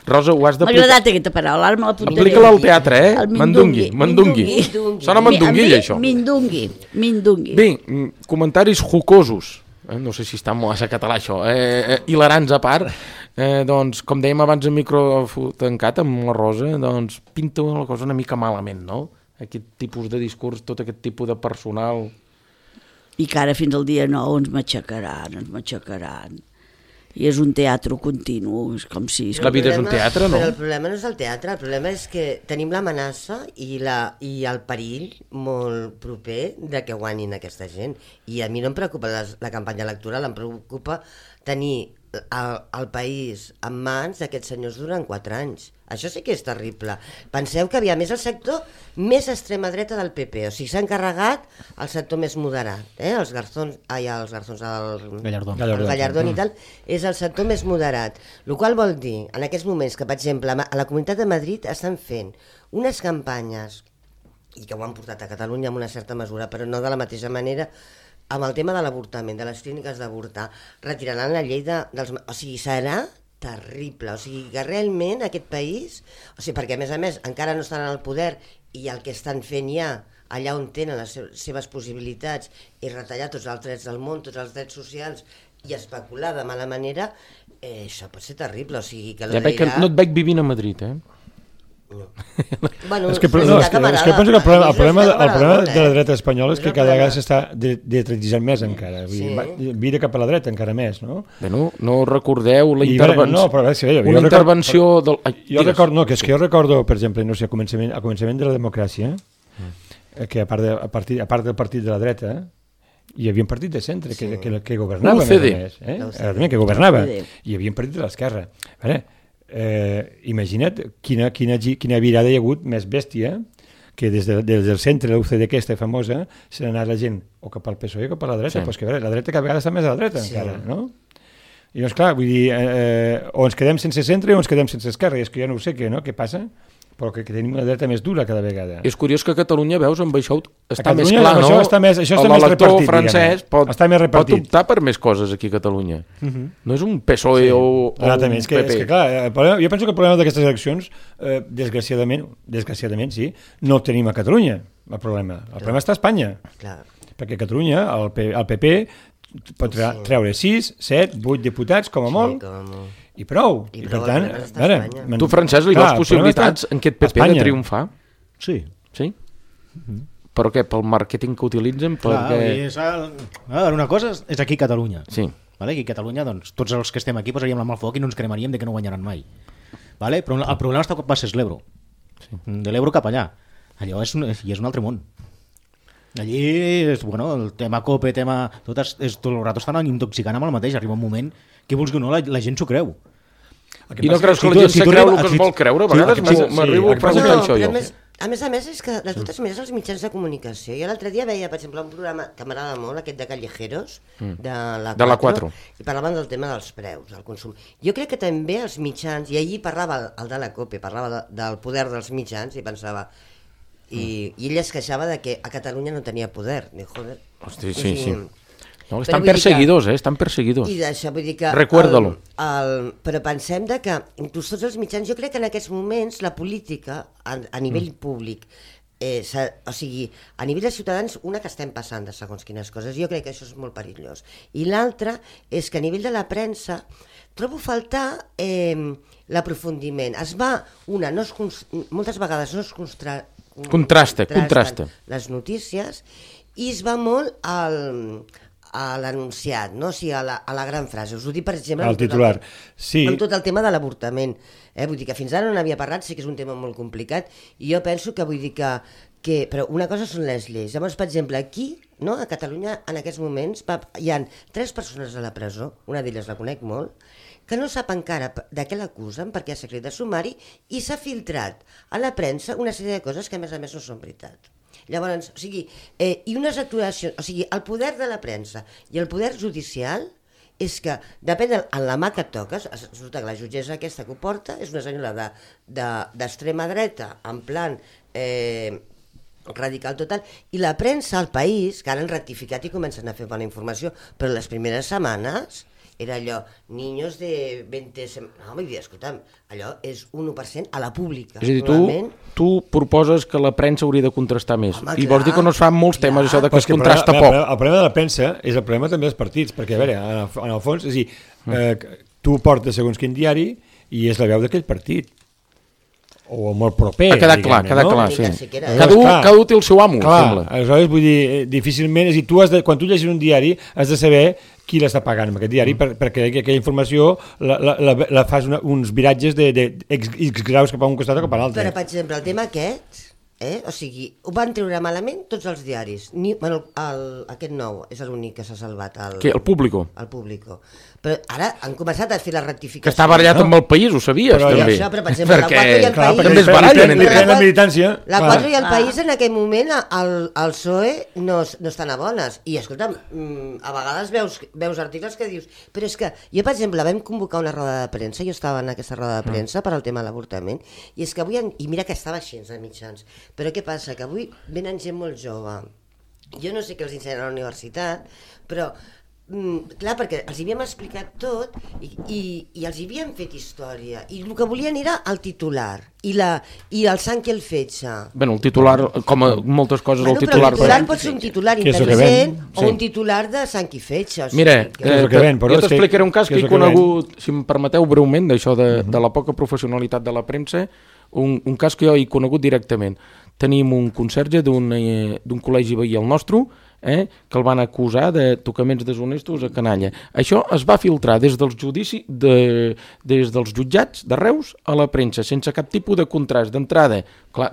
Rosa, ho has d'aplicar. M'ha agradat aquesta paraula, ara me la apuntaré. Aplica-la al teatre, Mandungui. Sona mandungui, això. Mindungui. Bé, comentaris jocosos. No sé si està massa català això, hilarants a part, doncs, com dèiem abans en micro tancat amb la Rosa, doncs pinta la cosa una mica malament, no? Aquest tipus de discurs, tot aquest tipus de personal... I que ara fins al dia 9 ens matxacaran. I és un teatre continu, és com si... La vida és un teatre, no? Però el problema no és el teatre, el problema és que tenim l'amenaça i el perill molt proper de que guanyin aquesta gent. I a mi no em preocupa la campanya electoral, em preocupa tenir el país en mans d'aquests senyors durant 4 anys. Això sí que és terrible. Penseu que havia més el sector més extrema dreta del PP, o sigui, s'ha encarregat el sector més moderat, el Gallardón i tal, és el sector més moderat, el qual vol dir, en aquests moments que, per exemple, a la Comunitat de Madrid estan fent unes campanyes, i que ho han portat a Catalunya en una certa mesura, però no de la mateixa manera, amb el tema de l'avortament, de les clíniques d'avortar, retiraran la llei dels... O sigui, serà terrible, o sigui que realment aquest país, o sigui, perquè a més encara no estan al poder i el que estan fent ja allà on tenen les seves possibilitats i retallar tots els drets del món, tots els drets socials i especular de mala manera, això pot ser terrible, o sigui que... Ja veig que no et veig vivint a Madrid, No. Bueno, és que penso que el problema de la dreta espanyola és que cada vegada s'està dretratitzant més encara, vira cap a la dreta encara més, no? Bueno, no recordeu la intervenció del... Jo recordo, per exemple, no sé, a començament de la democràcia, que a part del partit de la dreta hi havia un partit de centre que governava, que governava, i hi havia un partit de l'esquerra. Imagina't quina virada hi ha hagut més bèstia que des del centre de l'UCD aquesta famosa s'ha anat la gent o cap al PSOE o cap a la dreta, però és que la dreta cada vegada està més a la dreta encara, no? I llavors, clar, vull dir, o ens quedem sense centre o ens quedem sense esquerra, i és que jo no ho sé què passa, però que tenim una dreta més dura cada vegada. És curiós que a Catalunya, veus, amb això està més clar, no? Això està més repartit, francès pot optar per més coses aquí a Catalunya. No és un PSOE o un PP. És que, clar, jo penso que el problema d'aquestes eleccions, desgraciadament, sí, no el tenim a Catalunya, el problema. El problema està a Espanya. Perquè a Catalunya, el PP pot treure 6, 7, 8 diputats, com a molt, i prou. I per tant, tu, Francesc, li veus possibilitats en aquest PP de triomfar? Sí. Sí? Però què? Pel màrqueting que utilitzen? Una cosa és aquí a Catalunya. Sí. Aquí a Catalunya, doncs, tots els que estem aquí posaríem la mà al foc i no ens cremaríem de que no guanyaran mai. Però el problema està que passes l'Ebro. De l'Ebro cap allà. Allò és un altre món. Allí, el tema COPE, tot el rato estan intoxicant amb el mateix. Arriba un moment que vols que no, la gent s'ho creu. I no creus que la gent se creu el que es vol creure? A vegades m'arribo a preguntar això jo. A més és que de totes maneres els mitjans de comunicació. Jo l'altre dia veia, per exemple, un programa que m'agrada molt, aquest de Callejeros, de la 4, i parlaven del tema dels preus, del consum. Jo crec que també els mitjans, i allí parlava el de la COPE, parlava del poder dels mitjans, i pensava... I ell es queixava de que a Catalunya no tenia poder. Hosti, sí. No, estan perseguidors, estan perseguidors. I d'això vull dir que... Recuerda-lo. Però pensem que, inclús tots els mitjans, jo crec que en aquests moments la política, a nivell públic, o sigui, a nivell de ciutadans, una que estem passant de segons quines coses, jo crec que això és molt perillós. I l'altra és que a nivell de la premsa trobo faltar l'aprofundiment. Moltes vegades no es contrasta les notícies i es va molt a l'anunciat, no? O sigui, a la gran frase. Us ho dic, per exemple, al titular. Amb tot el tema de l'avortament. Vull dir que fins ara no n'havia parlat, sí que és un tema molt complicat, i jo penso que vull dir que però una cosa són les lleis. Llavors, per exemple, aquí, no, a Catalunya, en aquests moments, hi ha 3 persones a la presó, una d'elles la conec molt, que no sap encara de què l'acusen perquè hi ha secret de sumari i s'ha filtrat a la premsa una sèrie de coses que a més no són veritat. Llavors, o sigui, i unes actuacions, o sigui, el poder de la premsa i el poder judicial és que depèn de la mà que et toques. Resulta que la jutgessa aquesta que ho porta és una senyora d'extrema dreta, en plan radical total, i la premsa al país, que ara han rectificat i comencen a fer bona informació, però les primeres setmanes era allò, niños de 20... No, vull dir, escolta'm, allò és 1% a la pública. És a dir, tu proposes que la premsa hauria de contrastar més. Home, i vols dir que no es fan molts temes, això de que es contrasta poc. El problema de la premsa és el problema també dels partits, perquè, a veure, en el fons, és a dir, tu portes segons quin diari i és la veu d'aquell partit. O molt proper. Ha quedat clar, sí. Cada un té el seu amo, sembla. Aleshores, vull dir, difícilment, és a dir, quan tu llegis un diari has de saber qui l'està pagant amb aquest diari, perquè aquella informació la fas uns viratges d'X graus cap a un costat o cap a l'altre. Però, per exemple, el tema aquest, o sigui, ho van treure malament tots els diaris. Aquest nou és l'únic que s'ha salvat. El Público. El Público. Però ara han començat a fer la rectificació. Que està barallat amb el País, ho sabies, també. Això, però, per exemple, la 4 i el País... També es barallen entre la militància. La 4 i el País, en aquell moment, el PSOE no estan a bones. I, escolta'm, a vegades veus articles que dius... Però és que, jo, per exemple, vam convocar una roda de premsa, jo estava en aquesta roda de premsa per al tema de l'avortament, i és que avui... I mira que estava així de mitjans. Però què passa? Que avui venen gent molt jove. Jo no sé què els ensenyen a la universitat, però... clar, perquè els havíem explicat tot i els havíem fet història i el que volien era el titular i el sang i el fetge. Bueno, el titular, com a moltes coses, el titular... El titular pot ser un titular intel·ligent o un titular de sang i fetge. Mira, jo t'explicaré un cas que he conegut, si em permeteu breument, d'això de la poca professionalitat de la premsa, un cas que jo he conegut directament. Tenim un conserge d'un col·legi veí al nostre, que el van acusar de tocaments deshonestos a canalla. Això es va filtrar des dels jutjats de Reus a la premsa, sense cap tipus de contrast d'entrada. Clar,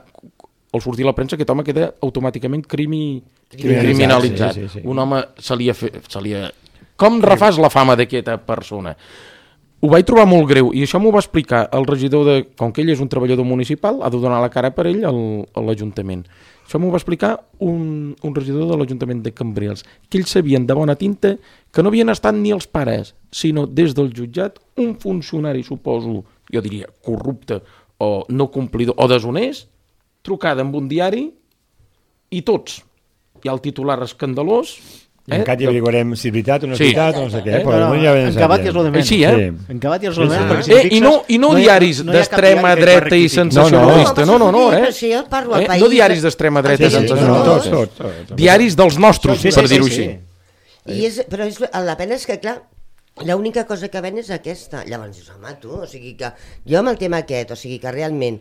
al sortir a la premsa aquest home queda automàticament criminalitzat. Un home se li ha... Com refàs la fama d'aquesta persona? ho vaig trobar molt greu, i això m'ho va explicar el regidor com que ell és un treballador municipal, ha de donar la cara per ell a l'Ajuntament. Això m'ho va explicar un regidor de l'Ajuntament de Cambrils, que ells sabien de bona tinta que no havien estat ni els pares, sinó des del jutjat un funcionari, suposo, jo diria corrupte o no complidor o deshonest, trucada amb un diari i tots. Hi ha el titular escandalós. Encara hi averiguarem si és veritat o no és veritat, no sé què. Encabat i és lo de menys. Així, Encabat i és lo de menys. I no diaris d'extrema dreta i sensacionalista. No, no diaris d'extrema dreta i sensacionalista. Diaris dels nostres, per dir-ho així. Però la pena és que, clar, l'única cosa que ven és aquesta. Llavors dius, home, tu, o sigui que jo amb el tema aquest, o sigui que realment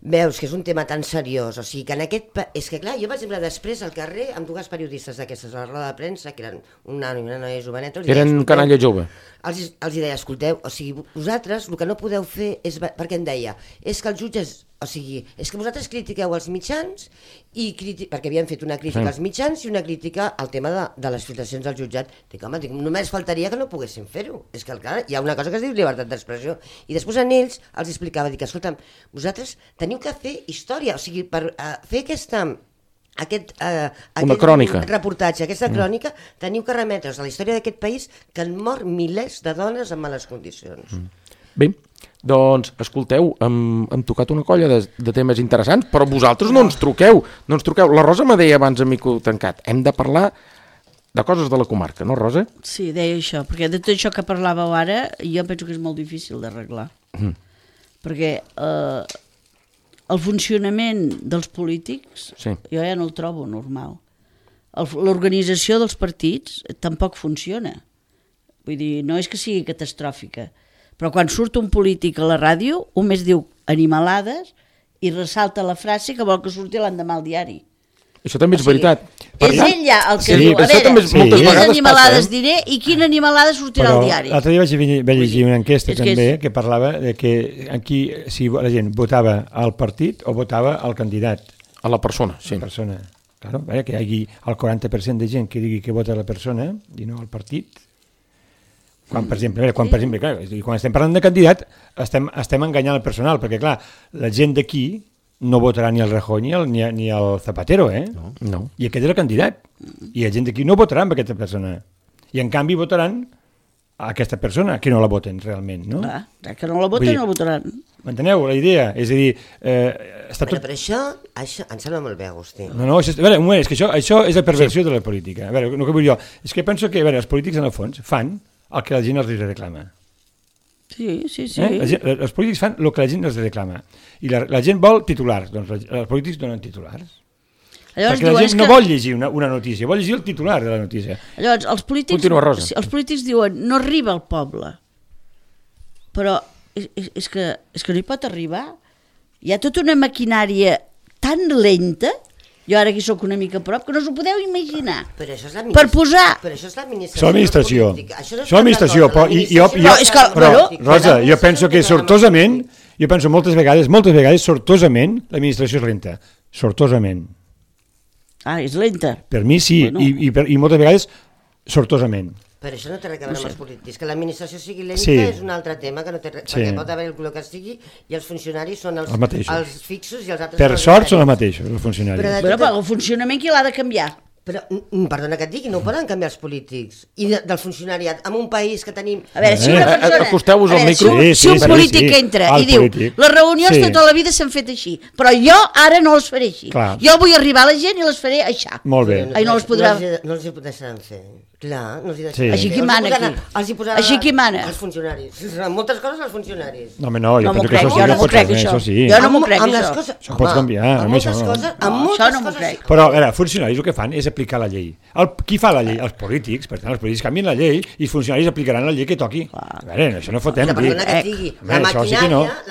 veus que és un tema tan seriós, o sigui que en aquest... És que clar, jo per exemple després al carrer amb dues periodistes d'aquestes a la roda de premsa, que eren una noia joveneta... Eren canalla jove. Els deia, escolteu, o sigui, vosaltres el que no podeu fer és... Perquè em deia, és que els jutges... O sigui, és que vosaltres critiqueu els mitjans perquè havien fet una crítica als mitjans i una crítica al tema de les filtracions del jutjat. Dic, home, només faltaria que no poguessin fer-ho. És que, clar, hi ha una cosa que es diu llibertat d'expressió. I després a ells els explicava, dic, escolta'm, vosaltres teniu que fer història, o sigui, per fer aquest reportatge, aquesta crònica, teniu que remetre's a la història d'aquest país que han mort milers de dones en males condicions. Bé, doncs, escolteu, hem tocat una colla de temes interessants, però vosaltres no ens truqueu. La Rosa me deia abans a mico tancat, hem de parlar de coses de la comarca, no, Rosa? Sí, deia això, perquè de tot això que parlàveu ara, jo penso que és molt difícil d'arreglar. Perquè el funcionament dels polítics, jo ja no el trobo normal. L'organització dels partits tampoc funciona. Vull dir, no és que sigui catastròfica, però quan surt un polític a la ràdio, un més diu animalades i ressalta la frase que vol que surti l'endemà al diari. Això també és veritat. És ell ja el que diu, a veure, quines animalades diré i quina animalada sortirà al diari. L'altre dia vaig llegir una enquesta també que parlava de que aquí si la gent votava al partit o votava al candidat. A la persona, sí. Claro, que hi hagi el 40% de gent que digui que vota a la persona i no al partit. Quan, per exemple, quan estem parlant de candidat, estem enganyant el personal, perquè, clar, la gent d'aquí no votarà ni el Rajoy ni el Zapatero, No. I aquest és el candidat. I la gent d'aquí no votarà amb aquesta persona. I, en canvi, votaran a aquesta persona, que no la voten realment, no? Clar, que no la voten, no votaran. M'enteneu la idea? És a dir... Però això em sembla molt bé, Agustí. No, a veure, un moment, és que això és la perversió de la política. A veure, el que vull jo, és que penso que els polítics, en el fons, fan el que la gent els reclama. Sí. Els polítics fan el que la gent els reclama. I la gent vol titulars, doncs els polítics donen titulars. Perquè la gent no vol llegir una notícia, vol llegir el titular de la notícia. Llavors, els polítics diuen no arriba al poble. Però és que no hi pot arribar. Hi ha tota una maquinària tan lenta... Jo ara aquí soc una mica a prop, que no us ho podeu imaginar. Però això és l'administració. Això és l'administració. Però, Rosa, jo penso que sortosament, moltes vegades, sortosament, l'administració és lenta. Sortosament. És lenta? Per mi sí, i moltes vegades sortosament. Però això no té res a veure amb els polítics. Que l'administració sigui lenta és un altre tema, que no té res, perquè pot haver el que sigui i els funcionaris són els fixos i els altres... Per sort són els mateixos, els funcionaris. Però el funcionament qui l'ha de canviar? Però, perdona que et digui, no ho poden canviar els polítics i del funcionariat en un país que tenim... A veure, si una persona... Acosteu-vos al micro. Si un polític entra i diu les reunions tota la vida s'han fet així, però jo ara no les faré així. Jo vull arribar a la gent i les faré així. Molt bé. No els hi deixaran fer. Clar, no els hi deixaran fer. Així qui mana aquí? Així qui mana? Els funcionaris. Moltes coses els funcionaris. No, jo penso que això no pot ser, això sí. Jo no m'ho crec, això. Això pots canviar. Això no m'ho crec. Però, a veure, funcionaris el que fan és aplicar la llei. Qui fa la llei? Els polítics. Per tant, els polítics canvien la llei i els funcionaris aplicaran la llei que toqui. A veure, això no fotem. Perdona que et digui, la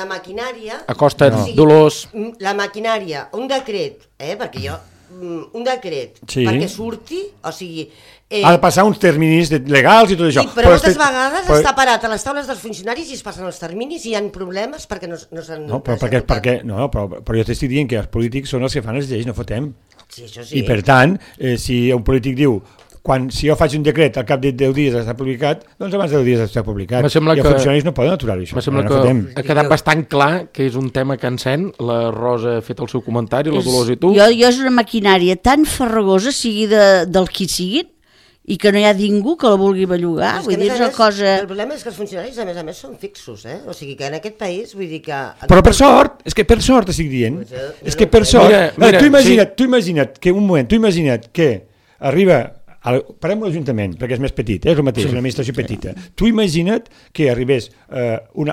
maquinària... A costa de dolors... La maquinària, un decret, perquè jo... Un decret perquè surti, o sigui... Ha de passar uns terminis legals i tot això. Sí, però moltes vegades està parat a les taules dels funcionaris i es passen els terminis i hi ha problemes perquè no s'han... No, però jo t'estic dient que els polítics són els que fan les lleis, no fotem. Sí, això sí. I per tant, si un polític diu si jo faig un decret al cap de 10 dies està publicat, doncs abans de 10 dies està publicat. I els funcionaris no poden aturar-ho, això. Me sembla que ha quedat bastant clar que és un tema que encén. La Rosa ha fet el seu comentari, la Dolors i tu. Jo és una maquinària tan farragosa, sigui del qui siguin, i que no hi ha ningú que la vulgui bellugar. Vull dir, és una cosa... El problema és que els funcionaris, a més, són fixos, eh? O sigui que en aquest país, vull dir que... Però per sort, és que per sort estic dient, és que per sort... Tu imagina't que arriba... Parem l'Ajuntament, perquè és més petit, és el mateix, una administració petita. Tu imagina't que arribés un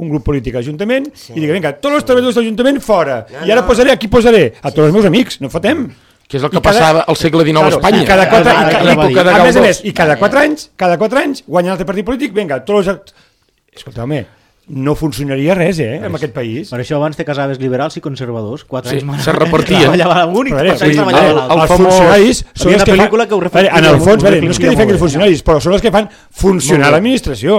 grup polític a l'Ajuntament i digui, vinga, tots els treballadors de l'Ajuntament fora, i ara posaré, aquí posaré, a tots els meus amics, no fotem. Que és el que passava al segle XIX a Espanya. A més a més, i cada 4 anys guanya un altre partit polític, vinga, tots els... Escolta-me, no funcionaria res, en aquest país. Per això abans te casaves liberals i conservadors. 4 anys se repartien. Treballava un i 4 anys treballava l'altre. Els funcionaris són els que fan... En el fons, no és que defengui els funcionaris, però són els que fan funcionar l'administració.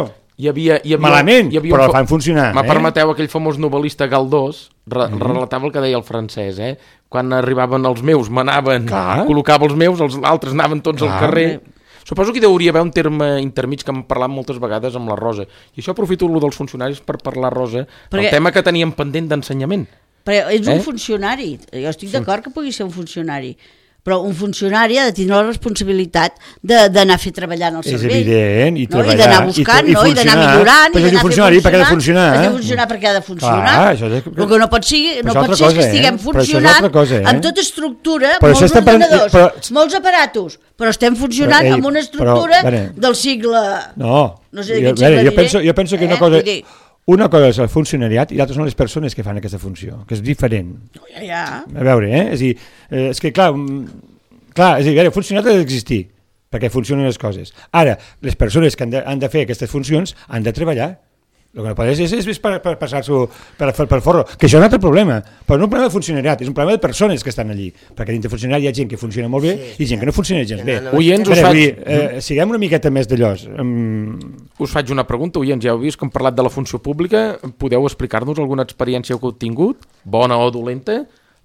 Malament, però el fan funcionar. Me permeteu, aquell famós novel·lista Galdós relatava el que deia el francès, quan arribaven els meus, m'anaven, col·locava els meus, els altres anaven tots al carrer. Suposo que hi hauria haver un terme intermig que hem parlat moltes vegades amb la Rosa. I això aprofito el dels funcionaris per parlar, Rosa, el tema que teníem pendent d'ensenyament. Però ets un funcionari. Jo estic d'acord que pugui ser un funcionari. Però un funcionari ha de tenir la responsabilitat d'anar a fer treballar en el servei. És evident, i treballar. I d'anar buscant, i d'anar millorant, i d'anar funcionar. Perquè ha de funcionar. Ha de funcionar perquè ha de funcionar. El que no pot ser és que estiguem funcionant amb tota estructura, molts ordenadors, molts aparatos, però estem funcionant amb una estructura del segle... No sé de quin segle diré. Jo penso que una cosa és el funcionariat i l'altra són les persones que fan aquesta funció, que és diferent. A veure, és que clar, és a dir, el funcionariat ha d'existir perquè funcionen les coses. Ara, les persones que han de fer aquestes funcions han de treballar. El que no pot és per passar-s'ho per forro, que això és un altre problema, però no és un problema de funcionariat, és un problema de persones que estan allí, perquè dintre funcionari hi ha gent que funciona molt bé i gent que no funciona gens bé. Siguem una miqueta més d'allòs. Us faig una pregunta, oients, ja heu vist que hem parlat de la funció pública, podeu explicar-nos alguna experiència que heu tingut, bona o dolenta?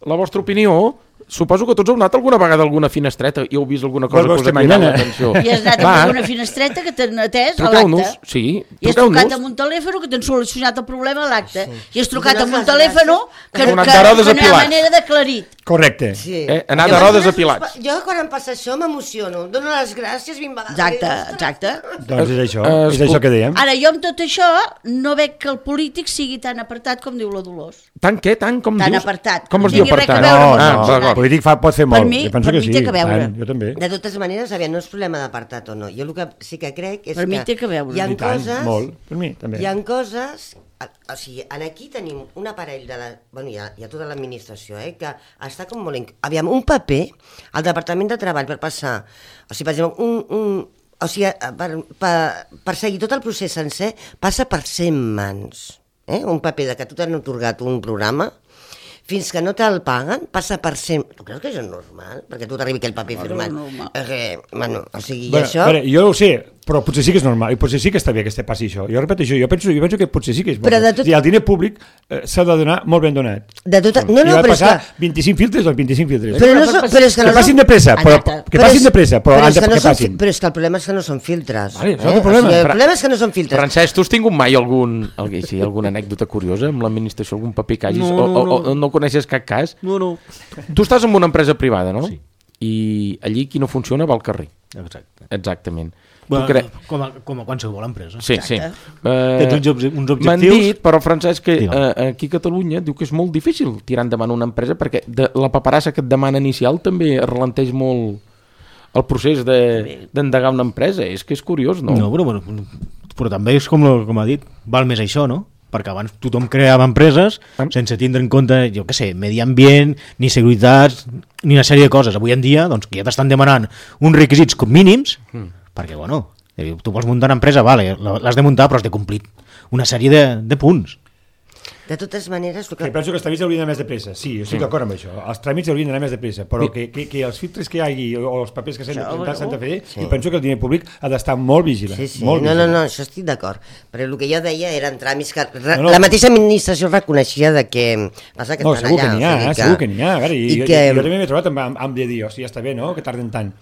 La vostra opinió? Suposo que tots heu anat alguna vegada a alguna finestreta i heu vist alguna cosa que us ha cridat l'atenció. I has anat a alguna finestreta que t'han atès a l'acte. Sí, i has trucat amb un telèfon que t'han solucionat el problema a l'acte. I has trucat amb un telèfon que no hi ha manera d'aclarit. Correcte. Anar de rodes a Pilats. Jo quan em passa això m'emociono. Dono les gràcies 20 vegades. Exacte. Doncs és això que dèiem. Ara, jo amb tot això no veig que el polític sigui tan apartat com diu la Dolors. Tant què? Tant com dius? Tan apartat. Com es diu apartat? No, el polític pot fer molt. Per mi té que veure. Jo també. De totes maneres, no és problema d'apartat o no. Jo el que sí que crec és que... Per mi té que veure. Hi ha coses... Molt, per mi també. Hi ha coses... O sigui, aquí tenim un aparell de la... Bueno, hi ha tota l'administració, que està com molt... Aviam, un paper al Departament de Treball per passar... O sigui, per exemple, per seguir tot el procés sencer passa per 100 mans. Un paper de que tu t'han atorgat un programa fins que no te'l paguen, passa per 100... Tu creus que això és normal? Perquè tu t'arribi aquell paper firmat. O sigui, això... Jo ho sé, però potser sí que és normal, i potser sí que està bé que passi això. Jo repeteixo, jo penso que potser sí que és bo. El diner públic s'ha de donar molt ben donat. No, però és que... 25 filtres, doncs 25 filtres. Però és que passin de pressa, però que passin. Però és que el problema és que no són filtres. El problema és que no són filtres. Francesc, tu has tingut mai alguna anècdota curiosa amb l'administració, algun paper que hagis... No coneixes cap cas? No. Tu estàs en una empresa privada, no? Sí. I allí qui no funciona va al carrer. Exactament. Bueno, com a qualsevol empresa. Sí. Tens uns objectius... M'han dit, però Francesc, que aquí a Catalunya diu que és molt difícil tirar endavant una empresa perquè la paperassa que et demana inicial també ralenteix molt el procés d'endegar una empresa. És que és curiós, no? No, però també és com ha dit, val més això, no? Perquè abans tothom creava empreses sense tindre en compte, jo què sé, medi ambient, ni seguretat, ni una sèrie de coses. Avui en dia, doncs, que ja t'estan demanant uns requisits com mínims, perquè, tu vols muntar una empresa, l'has de muntar, però has de complir una sèrie de punts. De totes maneres... Penso que els tràmits haurien d'anar més de pressa. Sí, jo estic d'acord amb això. Els tràmits haurien d'anar més de pressa, però que els filtres que hi hagi o els papers que s'han de presentar s'han de fer, i penso que el diner públic ha d'estar molt vigilant. No, això estic d'acord. Però el que jo deia eren tràmits que la mateixa administració reconeixia de que passa que estan allà. Segur que n'hi ha. Jo també m'he trobat amb de dir, ja està bé, no?, que tarden tant.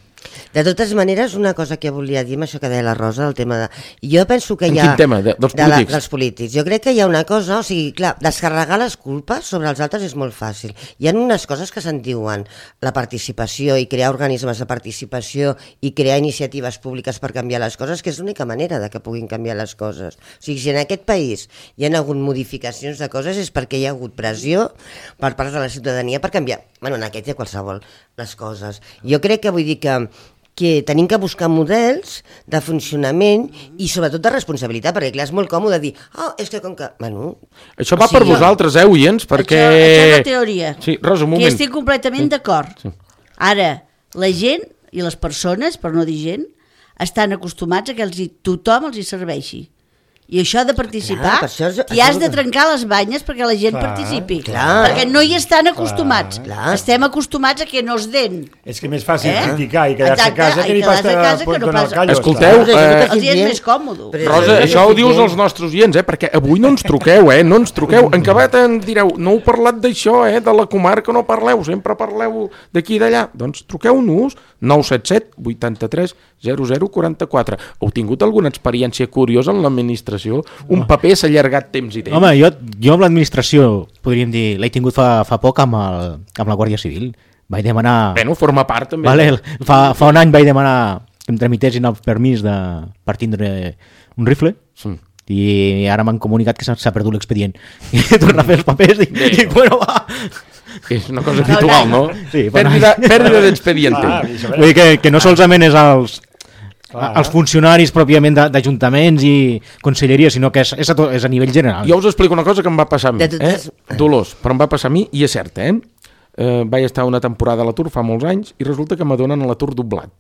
De totes maneres, una cosa que volia dir amb això que deia la Rosa, el tema de... Jo penso que hi ha... En quin tema? Dels polítics? Dels polítics. Jo crec que hi ha una cosa, o sigui, clar, descarregar les culpes sobre els altres és molt fàcil. Hi ha unes coses que se'n diuen la participació i crear organismes de participació i crear iniciatives públiques per canviar les coses, que és l'única manera de que puguin canviar les coses. O sigui, si en aquest país hi ha hagut modificacions de coses és perquè hi ha hagut pressió per part de la ciutadania per canviar, bueno, en aquest i qualsevol, les coses. Jo crec que vull dir que tenim que buscar models de funcionament i sobretot de responsabilitat, perquè clar, és molt còmode dir, és que com que... Bueno, això va per vosaltres, oients, perquè... Això és la teoria, sí, Rosa, un moment. Que estic completament d'acord. Sí. Ara, la gent i les persones, per no dir gent, estan acostumats a que tothom els hi serveixi. I això ha de participar, i has de trencar les banyes perquè la gent participi. Perquè no hi estan acostumats. Estem acostumats a que no es den. És que és més fàcil criticar i quedar-se a casa que no pas al callo. Escolteu, els és més còmode. Rosa, això ho dius als nostres oients, perquè avui no ens truqueu, no ens truqueu. En acabat ens direu, no heu parlat d'això, de la comarca no parleu, sempre parleu d'aquí i d'allà. Doncs truqueu-nos, 977 83 0044. Heu tingut alguna experiència curiosa en l'administració? Un paper s'ha allargat temps i temps. Home, jo amb l'administració, podríem dir, l'he tingut fa poc amb la Guàrdia Civil. Vaig demanar... Bueno, forma part també. Vale, fa un any vaig demanar que em tramitessin el permís per tindre un rifle. Sí. I ara m'han comunicat que s'ha perdut l'expedient. I he tornat a fer els papers i dic, bueno, va... És una cosa habitual, no? Sí, pèrdua d'expediente. Vull dir que no solament és els funcionaris pròpiament d'ajuntaments i conselleria, sinó que és a nivell general. Jo us explico una cosa que em va passar a mi, Dolors, però em va passar a mi i és cert, vaig estar una temporada a l'atur fa molts anys i resulta que m'adonen a l'atur doblat.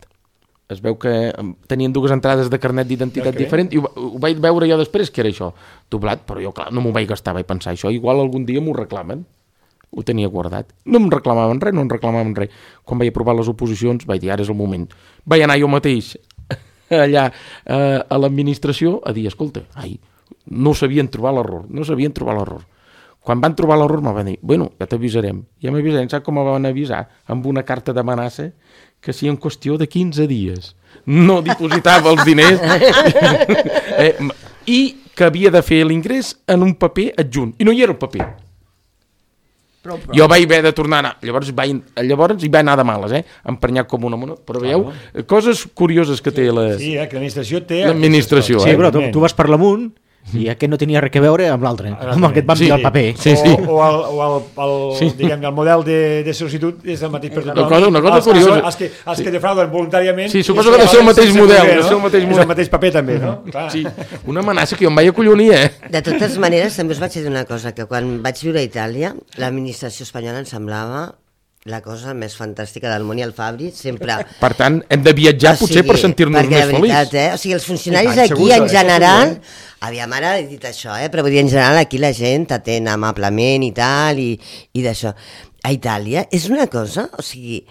Es veu que tenien dues entrades de carnet d'identitat diferent i ho vaig veure jo després que era això, doblat, però jo clar, no m'ho vaig gastar, vaig pensar això, igual algun dia m'ho reclamen. Ho tenia guardat. No em reclamaven res, Quan vaig aprovar les oposicions vaig dir, ara és el moment. Vaig anar jo mateix allà a l'administració a dir, escolta, no sabien trobar l'error. Quan van trobar l'error me van dir, bueno, ja t'avisarem. Ja m'avisarem, saps com me van avisar? Amb una carta d'amenaça que si en qüestió de 15 dies no dipositava els diners i que havia de fer l'ingrés en un paper adjunt. I no hi era el paper. Jo vaig haver de tornar a anar, llavors hi va anar de males, emprenyat com una mona, però veieu, coses curioses que té Sí, que l'administració té... L'administració, Sí, però tu vas per l'amunt i aquest no tenia res a veure amb l'altre, amb el que et van enviar el paper. Diguem, el model de sol·licitud és el mateix per tothom. Una cosa curiosa. Els que defrauden voluntàriament... Sí, suposo que deu ser el mateix model. És el mateix paper també, no? Sí, una amenaça que jo em vaig acollonir, De totes maneres, també us vaig dir una cosa, que quan vaig viure a Itàlia, l'administració espanyola em semblava la cosa més fantàstica del món i el Fabri sempre... Per tant, hem de viatjar potser per sentir-nos més feliços. O sigui, els funcionaris aquí en general... Aviam, ara he dit això, però vull dir, en general aquí la gent t'atén amablement i tal, i d'això. A Itàlia és una cosa, o sigui...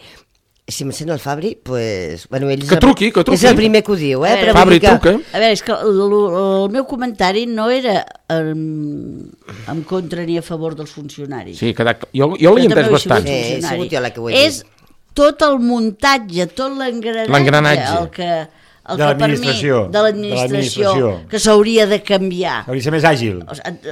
Si em sent el Fabri, pues... Bueno, que truqui. És el primer que ho diu, Però Fabri, truca. A veure, és que el meu comentari no era en contra ni a favor dels funcionaris. Sí, jo l'he entès bastant. Sí, sigut jo la que ho he dit. És tot el muntatge, tot l'engranatge, el que per mi, de l'administració, que s'hauria de canviar. Hauria de ser més àgil.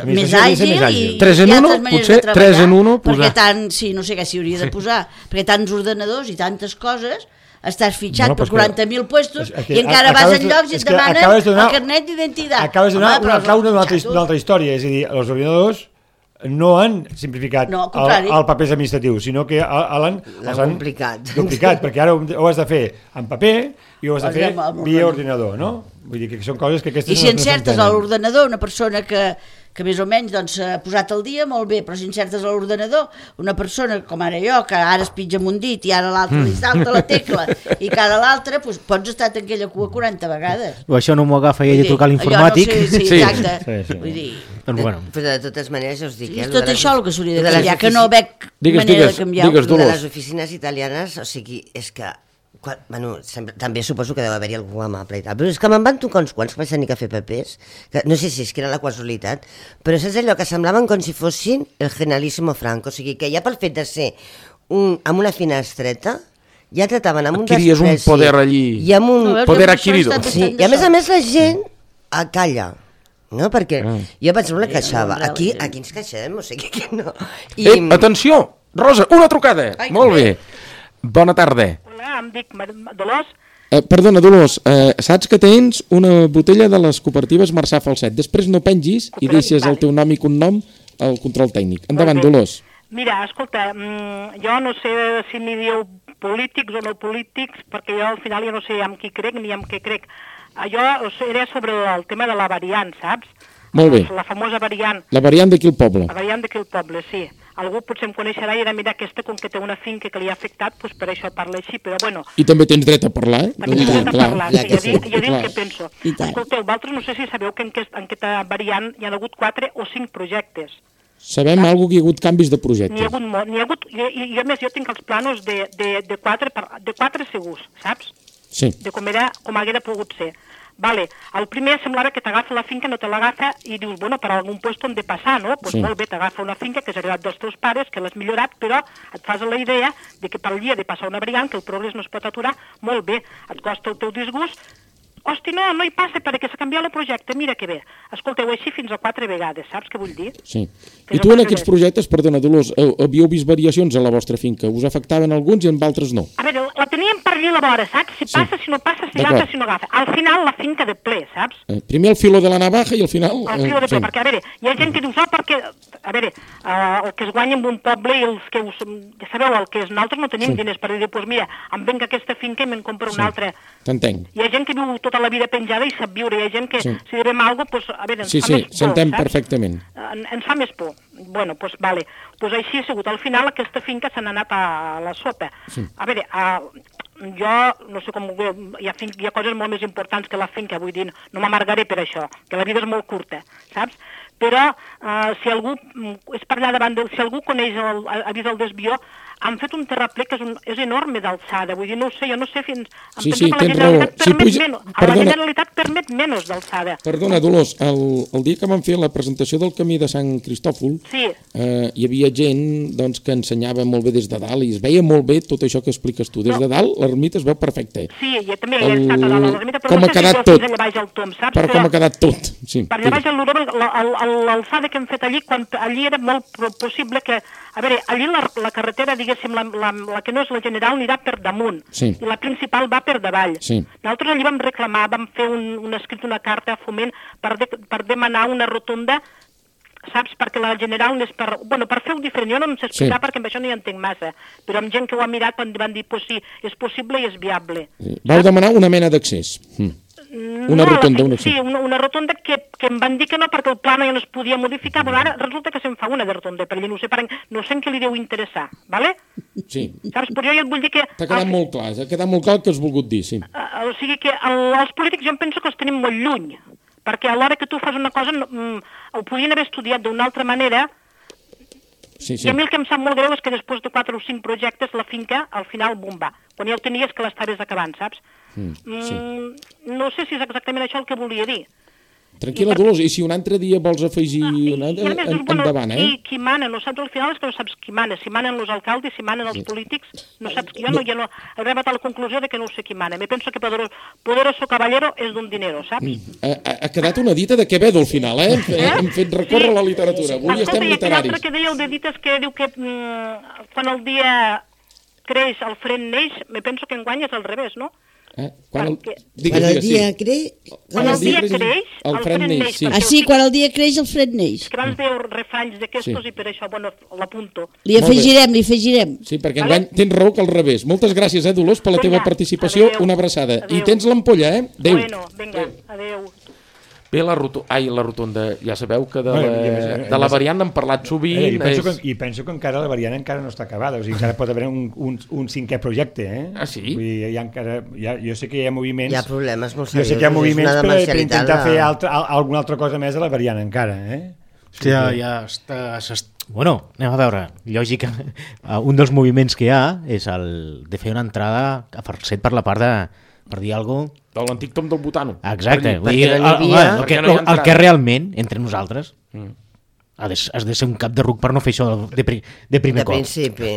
Més àgil i 3 en 1, potser 3 en 1 perquè sí, no sé què s'hi hauria de posar, perquè tants ordenadors i tantes coses, estàs fitxat per 40.000 puestos i encara vas en llocs i et demanen el carnet d'identitat. Acabes de donar una clau d'una altra història, és a dir, els ordinadors no han simplificat el papers administratius, sinó que l'han complicat, perquè ara ho has de fer en paper i ho has de fer via ordinador, no? Vull dir que són coses que aquestes... I si encertes a l'ordenador una persona que més o menys ha posat el dia, molt bé, però si encertes a l'ordenador una persona com ara jo, que ara es pitja amb un dit i ara l'altre li salta la tecla i que ara l'altre, pots estar en aquella cua 40 vegades. O això no m'ho agafa ell de trucar a l'informàtic. Sí, exacte. Vull dir... Però de totes maneres ja us dic... És tot això el que s'hauria de canviar, que no veig manera de canviar. De les oficines italianes, o sigui, és que... Bueno, també suposo que deu haver-hi algú amable i tal, però és que me'n van tocar uns quants que vaig tenir que fer papers, que no sé si és que era la casualitat, però saps allò que semblaven com si fossin el Generalísimo Franco, o sigui que ja pel fet de ser amb una finestreta ja trataven amb un adquiries despreci. Un poder allí, i amb un poder adquirido. Sí, i a més la gent calla, no? Perquè jo pensava una queixava, aquí ens queixem, o sigui que no. Atenció, Rosa, una trucada. Molt bé. Bona tarda. Hola, em dic Dolors. Perdona, Dolors, saps que tens una botella de les cooperatives Marçà Falset. Després no pengis i deixes el teu nom i cognom al control tècnic. Endavant, Dolors. Mira, escolta, jo no sé si m'hi dieu polítics o no polítics, perquè jo al final ja no sé amb qui crec ni amb què crec. Jo era sobre el tema de la variant, saps? Molt bé. La famosa variant. La variant d'aquí al poble. La variant d'aquí al poble, sí. Algú potser em coneixerà i dirà, mira, aquesta, com que té una finca que li ha afectat, doncs per això parla així, però bueno... I també tens dret a parlar, eh? També tens dret a parlar, sí, ja dic què penso. Escolteu, vosaltres no sé si sabeu que en aquesta variant hi ha hagut 4 o 5 projectes. Sabem algo que hi ha hagut canvis de projecte. N'hi ha hagut, i a més jo tinc els planos de 4 segurs, saps? Sí. De com haguera pogut ser. Vale, el primer semblava que t'agafa la finca, no te l'agafa i dius, bueno, per algun lloc on de passar, no? Doncs molt bé, t'agafa una finca que és heredat dels teus pares, que l'has millorat, però et fas la idea de que per dia de passar una variant, que el progrés no es pot aturar, molt bé, et costa el teu disgust, hosti, no hi passa perquè s'ha canviat el projecte, mira que bé. Escolteu, així fins a 4 vegades, saps què vull dir? Sí. I tu en aquests projectes, perdona, Dolors, havíeu vist variacions a la vostra finca? Us afectaven alguns i en altres no? A veure, la teníem per allà a la vora, saps? Si passa, si no passa, si agafa, si no agafa. Al final, la finca de ple, saps? Primer el filo de la navaja i al final... El filo de ple, perquè, a veure, hi ha gent que diu, perquè, a veure, el que es guanya en un poble i els que ja sabeu, el que és, nosaltres no tenim diners per dir, doncs mira, em venc aquesta finca i me'n compro una altra. T'entenc. Hi ha gent que viu tota la vida penjada i sap viure, hi ha gent que si devem alguna cosa, a veure, ens fa més por, s'entén perfectament. Ens fa més por. Bueno, doncs vale. Doncs així ha sigut. Al final aquesta finca se n'ha anat a la sopa. A veure, jo no sé com... Hi ha coses molt més importants que la finca, vull dir, no m'amargaré per això, que la vida és molt curta, saps? Però si algú és per allà davant, si algú coneix, ha vist el desvió, han fet un terraplè que és enorme d'alçada, vull dir, no ho sé, jo no sé fins... Sí, tens raó. La Generalitat permet menys d'alçada. Perdona, Dolors, el dia que vam fer la presentació del camí de Sant Cristòfol, hi havia gent que ensenyava molt bé des de dalt i es veia molt bé tot això que expliques tu. Des de dalt l'ermita es veu perfecte. Sí, jo també he estat a dalt l'ermita, però no sé si fins allà baix al Tom, saps? Però com ha quedat tot. Per allà baix al Luró, l'alçada que hem fet allí, quan allí era molt possible que... A veure, allí la carretera, diguéssim, la que no és la general, anirà per damunt, i la principal va per davall. Nosaltres allí vam reclamar, vam fer un escrit, una carta a Foment per demanar una rotonda, saps? Perquè la general és per... Bueno, per fer-ho diferent, jo no em sé explicar perquè amb això no hi entenc massa, però amb gent que ho ha mirat van dir, pues sí, és possible i és viable. Vau demanar una mena d'accés. Una rotonda, sí, una rotonda que em van dir que no perquè el pla ja no es podia modificar, però ara resulta que se'n fa una de rotonda per allà, no sé en què li deu interessar, vale? Sí. Saps? Però jo et vull dir que... T'ha quedat molt clar, el que has volgut dir, sí. O sigui que els polítics jo em penso que els tenim molt lluny, perquè a l'hora que tu fas una cosa ho podien haver estudiat d'una altra manera. I a mi el que em sap molt greu és que després de 4 o 5 projectes la finca al final bomba, quan ja ho tenies que l'estaves acabant, saps? No sé si és exactament això el que volia dir. Tranquil·la, Dolors, i si un altre dia vols afegir endavant, I qui mana, no saps, al final és que no saps qui mana, si manen els alcaldes, si manen els polítics, no saps, jo no he arribat a la conclusió de que no sé qui mana, me penso que poderoso caballero és d'un dinero, saps? Ha quedat una dita de Quevedo al final, hem fet recórrer la literatura, avui estem literaris. L'altre que dèieu de dites que diu que quan el dia creix el fred neix, me penso que enguany és al revés, no? Quan el dia creix el fred neix. Sí, quan el dia creix el fred neix. Que abans dèieu refranys d'aquestos i per això, bueno, l'apunto. Li afegirem. Sí, perquè enguany tens raó que al revés. Moltes gràcies, Dolors, per la teva participació. Una abraçada. I tens l'ampolla, Adéu. Bueno, vinga, adéu. Bé, la rotonda, ja sabeu que de la variant hem parlat sovint. I penso que encara la variant encara no està acabada, o sigui, encara pot haver un 5è projecte. Ah, sí? Vull dir, jo sé que hi ha moviments... Hi ha problemes molt seriosos. Jo sé que hi ha moviments per intentar fer alguna altra cosa més a la variant encara. Ja està... Bueno, anem a veure. Lògica, un dels moviments que hi ha és el de fer una entrada a Falset per la part de... per dir alguna cosa... De l'antic Tom del Butano. Exacte. El que realment, entre nosaltres, has de ser un cap de ruc per no fer això de primer cop. De principi.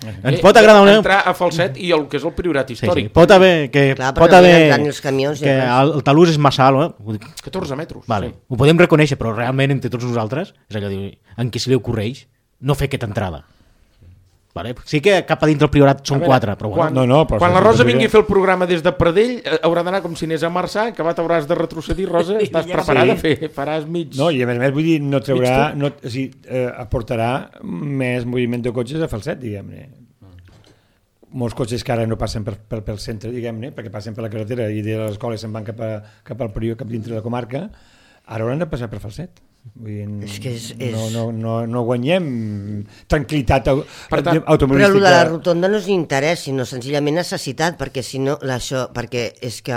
Ens pot agradar una... Entrar a Falset i el que és el Priorat històric. Sí. Pot haver que el talús és massa alt. 14 metres. Vale. Ho podem reconèixer, però realment entre tots nosaltres és allò de en qui se li ocorreix no fer aquesta entrada. Vale. Sí que cap a dintre el Priorat són 4, però bueno. Quan la Rosa vingui a fer el programa des de Pradell, haurà d'anar com si anés a Marçà, que t'hauràs de retrocedir, Rosa, estàs preparada a fer, faràs mig... No, i a més, vull dir, no traurà, aportarà més moviment de cotxes a Falset, diguem-ne. Molts cotxes que ara no passen pel centre, diguem-ne, perquè passen per la carretera i de l'escola se'n van cap al Prior, cap dintre de la comarca, ara hauran de passar per Falset. Vull dir, no guanyem tranquil·litat automobilística. Però el de la rotonda no és interès, sinó senzillament necessitat, perquè si no, perquè és que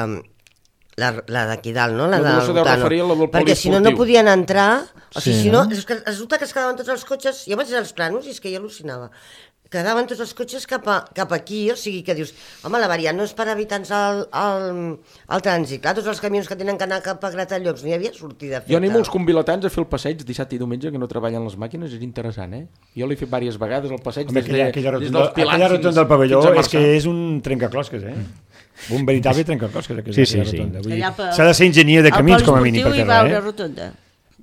la d'aquí dalt, no? La de la Rotano. Perquè si no podien entrar, o sigui, si no, resulta que es quedaven tots els cotxes, jo vaig anar als plànols i és que jo al·lucinava. Quedaven tots els cotxes cap aquí, o sigui que dius, home, la variant no és per evitar-nos el trànsit, clar, tots els camions que tenen que anar cap a Gratallops, no hi havia sortida feta. Jo animo els convilatans a fer el passeig dissabte i diumenge, que no treballen les màquines, és interessant, eh? Jo l'he fet diverses vegades, el passeig des dels Pilars aquella rotonda del pavelló és que és un trencaclosques, un veritable trencaclosques. Sí. S'ha de ser enginyer de camins, com a mínim, per fer-la,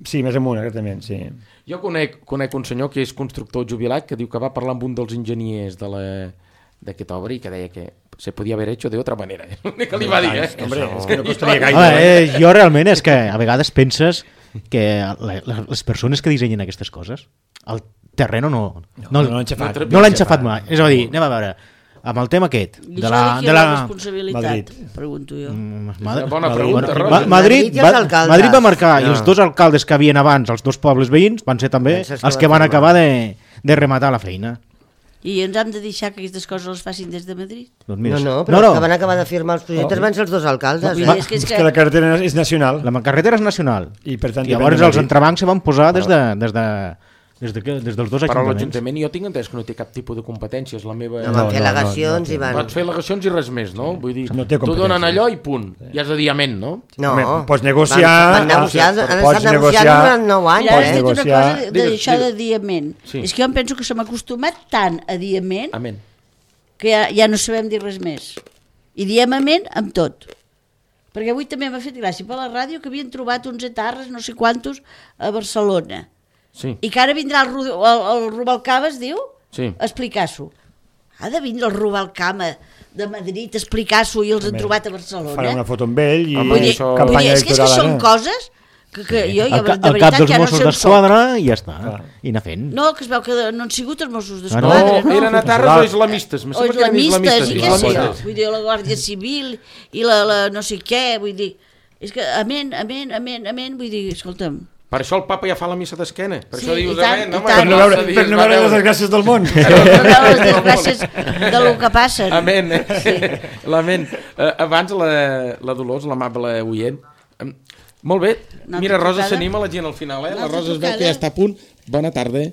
Sí, més amunt, exactament, sí. Jo conec un senyor que és constructor jubilat que diu que va parlar amb un dels enginyers d'aquesta obra i que deia que se podia haver hecho de otra manera. Que li va dir, Hombre, és que no costaria gaire. Jo realment és que a vegades penses que les persones que dissenyen aquestes coses, el terreno no l'han xafat mai. És a dir, anem a veure, amb el tema aquest de la responsabilitat, pregunto jo. Bona pregunta, Rosa. Madrid va marcar i els dos alcaldes que havien abans, els dos pobles veïns, van ser també els que van acabar de rematar la feina. I ens hem de deixar que aquestes coses les facin des de Madrid? No, però els que van acabar de firmar els projectes van ser els dos alcaldes. És que la carretera és nacional. La carretera és nacional. I per tant, llavors els entrebancs se van posar des dels dos ajuntaments. Però l'Ajuntament jo tinc entès que no té cap tipus de competències. La meva... No, van fer al·legacions i van... Van fer al·legacions i res més, no? Vull dir, tu donen allò i punt. I has de dir amén, no? No. Pots negociar... Han estat negociant durant 9 anys. Mira, has dit una cosa d'això de dir amén. És que jo em penso que s'hem acostumat tant a dir amén que ja no sabem dir res més. I diem amén amb tot. Perquè avui també m'ha fet gràcia per la ràdio que havien trobat uns etarres, no sé quantos, a Barcelona. Sí. I que ara vindrà el Rubalcaba, es diu? Sí. A explicar-s'ho. Ha de vindre el Rubalcaba de Madrid a explicar-s'ho i els han trobat a Barcelona. Farà una foto amb ell i campanya electoral. És que són coses que jo de veritat cap dels Mossos d'Esquadra i ja està. I anar fent. No, que es veu que no han sigut els Mossos d'Esquadra. No, eren etarres o islamistes. O islamistes, i què sé jo. Vull dir, la Guàrdia Civil i la no sé què, vull dir. És que amén, vull dir, escolta'm. Per això el papa ja fa la missa d'esquena. Per això dius amén. Per no veure les desgràcies del món. Per no veure les desgràcies del que passen. Amén. L'amén. Abans la Dolors, l'amable oient. Molt bé. Mira, Rosa s'anima la gent al final. La Rosa es veu que ja està a punt. Bona tarda.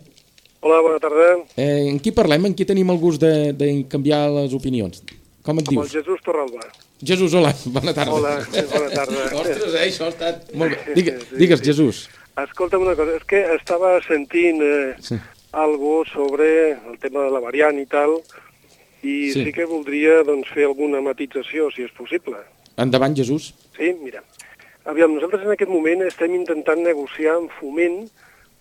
Hola, bona tarda. En qui parlem? En qui tenim el gust de canviar les opinions? Com et dius? Amb el Jesús Torralba. Jesús, hola. Bona tarda. Hola, bona tarda. Ostres, això ha estat molt bé. Digues, Jesús. Escolta'm una cosa, és que estava sentint algo sobre el tema de la variant i tal, i sí que voldria fer alguna matització, si és possible. Endavant, Jesús. Sí, mira. Aviam, nosaltres en aquest moment estem intentant negociar amb Foment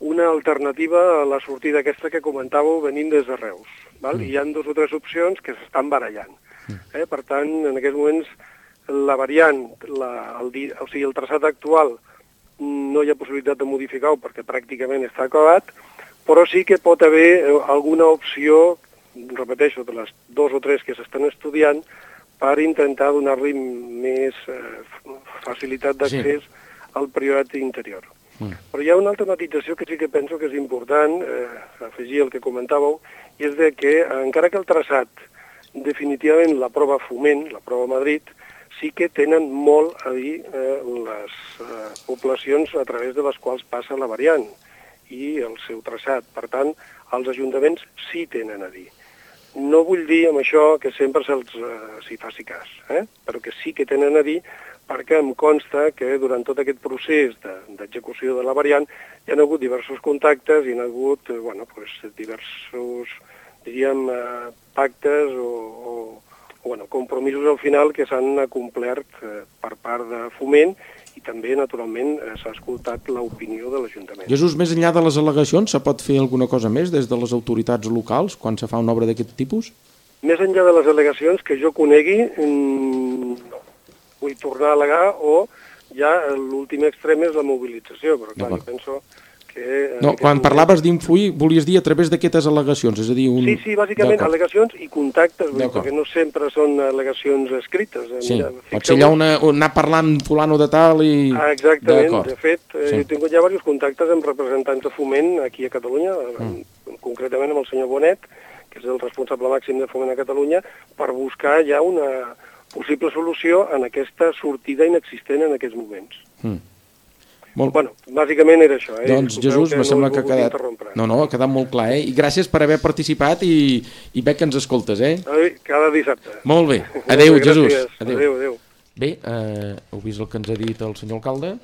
una alternativa a la sortida aquesta que comentàveu venint des de Reus. Val? Hi ha 2 o 3 opcions que s'estan barallant. Per tant, en aquests moments, la variant, o sigui, el traçat actual, no hi ha possibilitat de modificar-ho perquè pràcticament està acabat, però sí que pot haver alguna opció, repeteixo, de les 2 o 3 que s'estan estudiant, per intentar donar-li més facilitat d'accés al Priorat interior. Però hi ha una altra matització que sí que penso que és important, afegir el que comentàveu, i és de que, encara que el traçat, definitivament la prova Foment, la prova Madrid, sí que tenen molt a dir les poblacions a través de les quals passa la variant i el seu traçat. Per tant, els ajuntaments sí tenen a dir. No vull dir amb això que sempre s'hi faci cas, però que sí que tenen a dir perquè em consta que durant tot aquest procés d'execució de la variant hi ha hagut diversos contactes, hi ha hagut diversos, diríem, pactes o compromisos al final que s'han complert per part de Foment, i també, naturalment, s'ha escoltat l'opinió de l'Ajuntament. Jesús, més enllà de les al·legacions, se pot fer alguna cosa més des de les autoritats locals quan se fa una obra d'aquest tipus? Més enllà de les al·legacions que jo conegui, no. Vull tornar a al·legar o ja l'últim extrem és la mobilització, però clar, jo penso que... No, quan parlaves d'influir, volies dir a través d'aquestes al·legacions, és a dir... Sí, bàsicament al·legacions i contactes, perquè no sempre són al·legacions escrites. Sí, pot ser allà anar parlant fulano de tal i... Exactament, de fet, he tingut ja diversos contactes amb representants de Foment aquí a Catalunya, concretament amb el senyor Bonet, que és el responsable màxim de Foment a Catalunya, per buscar ja una possible solució en aquesta sortida inexistent en aquests moments. Bueno, bàsicament era això. Doncs Jesús, me sembla que ha quedat... No, ha quedat molt clar, I gràcies per haver participat i veig que ens escoltes, Cada dissabte. Molt bé. Adéu, Jesús. Adéu. Bé, heu vist el que ens ha dit el senyor alcalde,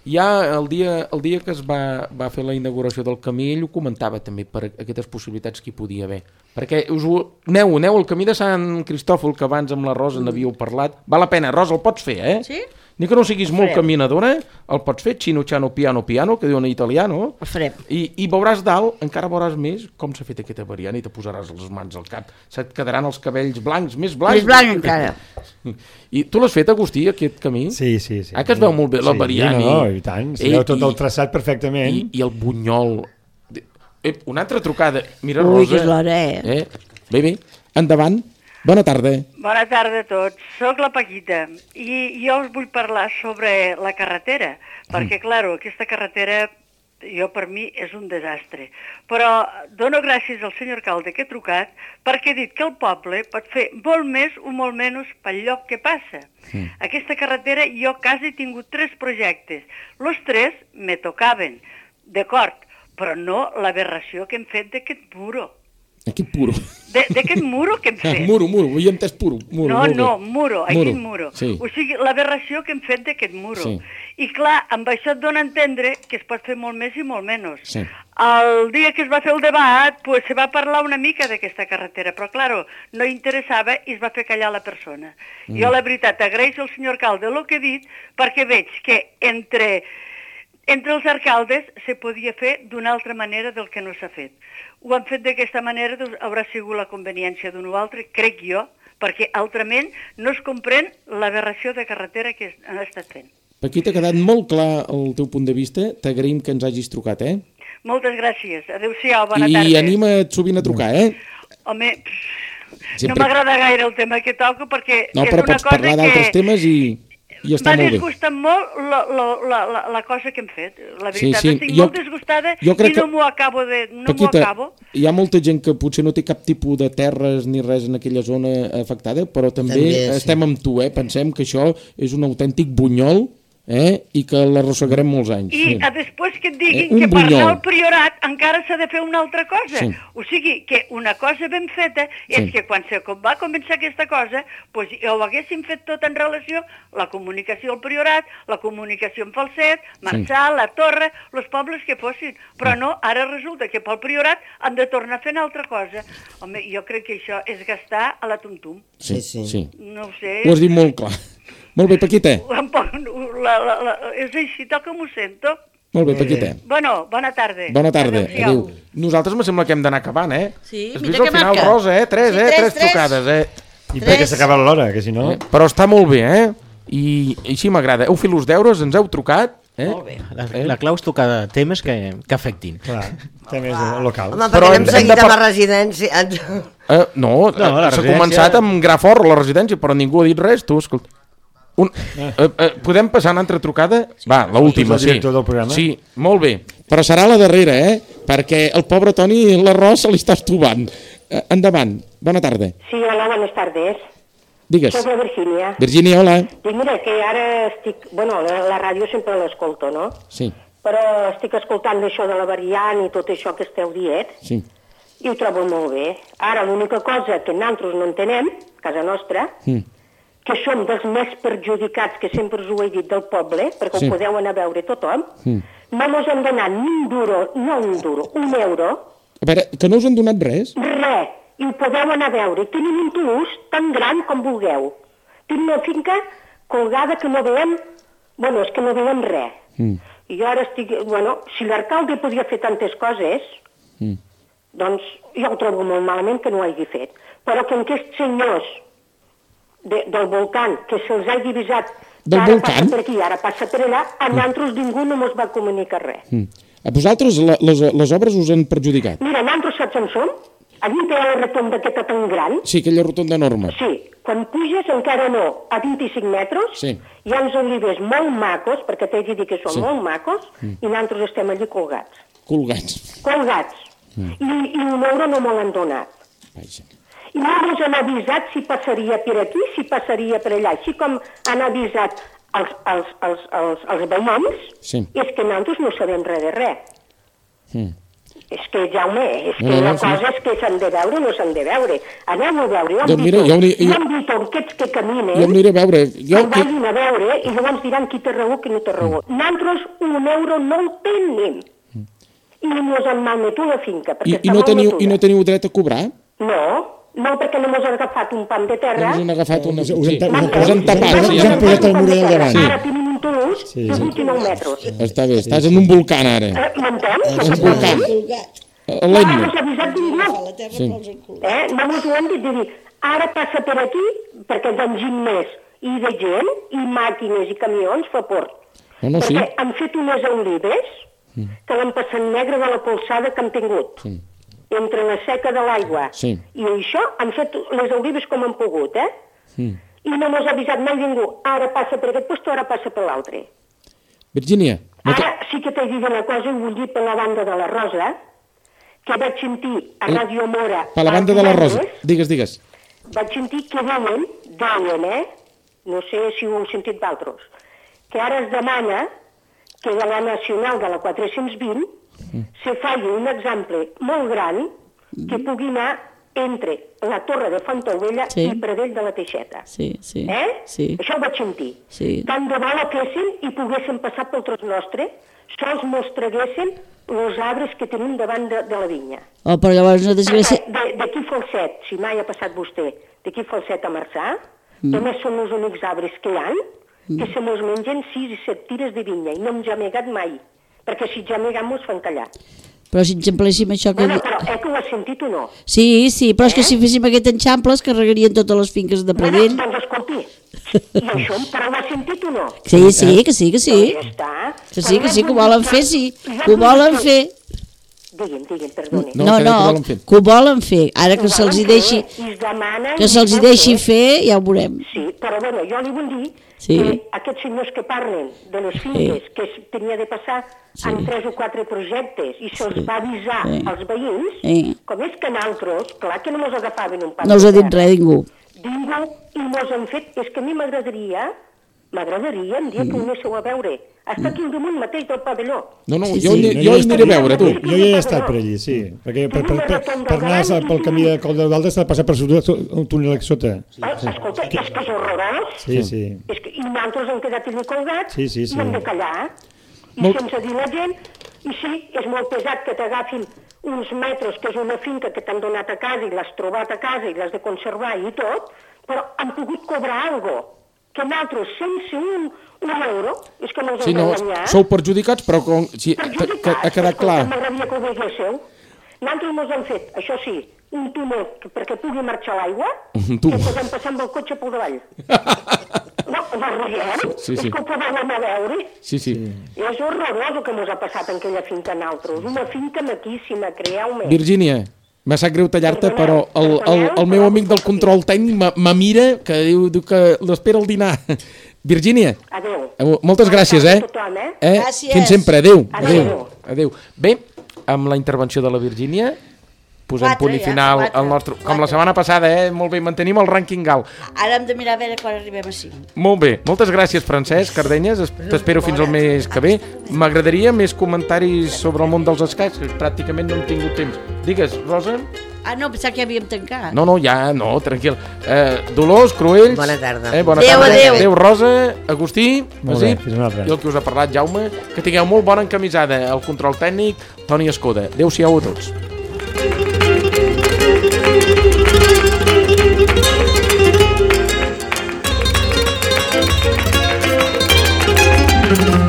Ja el dia que es va fer la inauguració del camí, ell ho comentava també per aquestes possibilitats que hi podia haver. Perquè aneu al camí de Sant Cristòfol, que abans amb la Rosa n'havíeu parlat. Val la pena, Rosa, el pots fer, Sí? Ni que no siguis molt caminadora, el pots fer, chino, chano, piano, piano, que diuen en italiano. El farem. I veuràs dalt, encara veuràs més com s'ha fet aquesta variant i te posaràs les mans al cap. Se't quedaran els cabells blancs, més blancs. Més blanc encara. I tu l'has fet, Agustí, aquest camí? Sí. Que es veu molt bé la variant. No, i tant, s'hi veu tot el traçat perfectament. I el bunyol. Una altra trucada. Mira, Ui, Rosa. que és l'hora, Bé, endavant. Bona tarda. Bona tarda a tots. Soc la Paquita i jo us vull parlar sobre la carretera, perquè, clar, aquesta carretera per mi és un desastre. Però dono gràcies al senyor alcalde que he trucat perquè he dit que el poble pot fer molt més o molt menys pel lloc que passa. Aquesta carretera jo quasi he tingut 3 projectes. Los 3 me tocaven, d'acord, però no l'aberració que hem fet d'aquest muro. Aquest puro. D'aquest muro que hem fet. Muro, ho he entès puro. Muro, aquest muro. Sí. O sigui, l'aberració que hem fet d'aquest muro. Sí. I clar, amb això et dona a entendre que es pot fer molt més i molt menys. Sí. El dia que es va fer el debat, pues, se va parlar una mica d'aquesta carretera, però, claro, no interessava i es va fer callar la persona. Jo, la veritat, agraeixo al senyor alcalde el que he dit, perquè veig que entre els alcaldes se podia fer d'una altra manera del que no s'ha fet. Ho han fet d'aquesta manera, doncs haurà sigut la conveniència d'un o altre, crec jo, perquè altrament no es comprèn l'aberració de carretera que han estat fent. Paquita, ha quedat molt clar el teu punt de vista, t'agraïm que ens hagis trucat, Moltes gràcies, adéu-siau, bona tarda. I anima't sovint a trucar, Home, no m'agrada gaire el tema que toco perquè no, és una cosa que... No, però pots parlar d'altres temes i està molt bé. M'ha disgustat molt la cosa que hem fet. La veritat, estic molt disgustada i no m'ho acabo de... Paquita, hi ha molta gent que potser no té cap tipus de terres ni res en aquella zona afectada, però també estem amb tu, Pensem que això és un autèntic bunyol, i que l'arrossegarem molts anys. I després que et diguin que per anar al priorat encara s'ha de fer una altra cosa. O sigui, que una cosa ben feta és que quan va començar aquesta cosa, doncs ho haguéssim fet tot en relació a la comunicació al priorat, la comunicació amb Falset, Marçà, la Torre, els pobles que fossin. Però no, ara resulta que pel priorat han de tornar a fer una altra cosa. Home, jo crec que això és gastar a la tum-tum. Sí. No ho sé. Ho has dit molt clar. Molt bé, Paquita. És així, tal com ho sento. Molt bé, Paquita. Bueno, bona tarda. Bona tarda, adéu. Nosaltres me sembla que hem d'anar acabant, Sí, has vist al final, Rosa, tres trucades, I perquè s'acaba l'hora, que si no... Però està molt bé, I així m'agrada. Heu fet els deures, ens heu trucat. Molt bé. La clau és tocar temes que afectin. Clar, temes locals. Home, perquè hem seguit amb la residència. No, s'ha començat amb gra fort la residència, però ningú ha dit res, tu, escolta. Podem passar una altra trucada? Va, l'última, sí. Sí, molt bé. Però serà la darrera, perquè el pobre Toni l'arròs se li està estuvant. Endavant, bona tarda. Sí, hola, buenas tardes. Digues. Soc la Virgínia. Virgínia, hola. Dic, mira, que ara estic... Bueno, la ràdio sempre l'escolto, no? Sí. Però estic escoltant això de la variant i tot això que esteu dient. Sí. I ho trobo molt bé. Ara, l'única cosa que nosaltres no entenem, casa nostra, que som dels més perjudicats, que sempre us ho he dit, del poble, perquè ho podeu anar a veure tothom, no mos han donat ni un duro, un euro. A veure, que no us han donat res? Res, i ho podeu anar a veure. Tenim un Toulouse tan gran com vulgueu. Tenim una finca colgada que no veiem, bueno, és que no veiem res. I jo ara estic, bueno, si l'alcalde podia fer tantes coses, doncs jo ho trobo molt malament que no ho hagi fet. Però que aquests senyors del volcán, que se'ls ha divisat, ara passa per aquí, ara passa per allà, a nosaltres ningú no ens va comunicar res. A vosaltres les obres us han perjudicat? Mira, nosaltres saps on som? Allí té la rotonda aquesta tan gran. Sí, aquella rotonda enorme. Sí, quan puges encara no, a 25 metres, hi ha uns olivers molt macos, perquè t'he de dir que són molt macos, i nosaltres estem allí colgats. Colgats. I un euro no me l'han donat. Vaja. I no ens han avisat si passaria per aquí, si passaria per allà. Així com han avisat els veïns, és que nosaltres no sabem res de res. És que, Jaume, és que la cosa és que s'han de veure o no s'han de veure. Aneu a veure, jo hem dit aquests que caminen, jo aniré a veure. Vagin a veure i llavors diran qui té raó, qui no té raó. Nosaltres un euro no el tenim. I ens han malmetut la finca. I no teniu dret a cobrar? No, perquè no ens han agafat un pam de terra. Us han agafat us han tapat. Us han posat el murall al davant. Ara tenim un Toulouse de 29 metres. Està bé, estàs en un volcán ara. M'entens? És un volcán. No ens ha avisat ningú. No ens ho han dit de dir, ara passa per aquí, perquè d'enginy més, i de gent, i màquines, i camions, fa port. Perquè han fet unes olives que l'han passat negre de la polsada que han tingut. Entre la seca de l'aigua i això, han fet les olives com han pogut, I no m'ha avisat mai ningú. Ara passa per aquest lloc, ara passa per l'altre. Virgínia. Ara sí que t'he dit una cosa, i vull dir per la banda de la Rosa, que vaig sentir a Ràdio Mora... Per la banda de la Rosa, digues. Vaig sentir que deien, no sé si ho heu sentit d'altres, que ara es demana que de la Nacional de la 420 se faci un exemple molt gran que pugui anar entre la Torre de Fontaubella i Pradell de la Teixeta. Això ho vaig sentir. Tant de bo la fessin i poguessin passar pel tros nostre, sols mos traguessin els arbres que tenim davant de la vinya. Però llavors no desgràcia... D'aquí Falset, si mai ha passat vostè, d'aquí Falset a Marçà, només són els únics arbres que hi ha, que se mos mengen 6 i 7 tires de vinya, i no hem jamegat mai. Perquè si ja mirem mos fan callar. Però si enxampléssim això que... Però que ho has sentit o no? Sí, però és que si féssim aquest enxample es carregarien totes les finques de Pradell. Doncs escolti, i això però ho has sentit o no? Sí, que sí. Que sí, que ho volen fer, sí. Que ho volen fer. Digue'm, perdoni. No, que ho volen fer. Ara que se'ls hi deixi fer, ja ho veurem. Sí, però bueno, jo li vull dir que aquests senyors que parlen de les finques, que tenia de passar en 3 o 4 projectes i se'ls va avisar als veïns, com és que nosaltres, clar que no mos agafaven un pas. No us ha dit res ningú. I mos han fet, és que a mi m'agradaria un dia que ho anéssiu a veure. Està aquí al damunt mateix del pavelló. Jo aniré a veure, tu. Jo ja he estat per allí, sí. Perquè per anar pel camí de Coll de Valdes s'ha de passar per un túnel sota. Escolta, és que és horrorós. Sí. I nosaltres hem quedat allà colgats i hem de callar. I sense dir la gent, i sí, és molt pesat que t'agafin uns metres, que és una finca que t'han donat a casa i l'has trobat a casa i l'has de conservar i tot, però han pogut cobrar alguna cosa que nosaltres, sense un euro, és que no us hem d'enganyar. Sou perjudicats, però ha quedat clar. M'agradaria que ho veiéssiu. Nosaltres ens han fet, això sí, un túnel perquè pugui marxar l'aigua, que podem passar amb el cotxe pel davall. No riguem, és que ho podem anar a veure. Sí. I és horrorós el que ens ha passat en aquella finca nosaltres. Una finca maquíssima, creieu-me. Virgínia, m'ha sap greu tallar-te, però el meu amic del control tècnic me mira, que diu que l'espera al dinar. Virgínia. Adéu. Moltes gràcies, Gràcies. Fins sempre. Adéu. Bé, amb la intervenció de la Virgínia, posem punt i final al nostre... Com la setmana passada, molt bé, mantenim el rànquing alt. Ara hem de mirar a veure quan arribem a 5. Molt bé, moltes gràcies, Francesc Cardenyes, t'espero fins al mes que ve. M'agradaria més comentaris sobre el món dels escacs, que pràcticament no hem tingut temps. Digues, Rosa? No, pensava que ja havíem tancat. No, tranquil. Dolors, Cruells... Bona tarda. Bona tarda. Adéu, Rosa, Agustí, Basip, i el que us ha parlat, Jaume. Que tingueu molt bona encamisada. El control tècnic, Toni Escoda. Adéu-siau a tots. Thank you.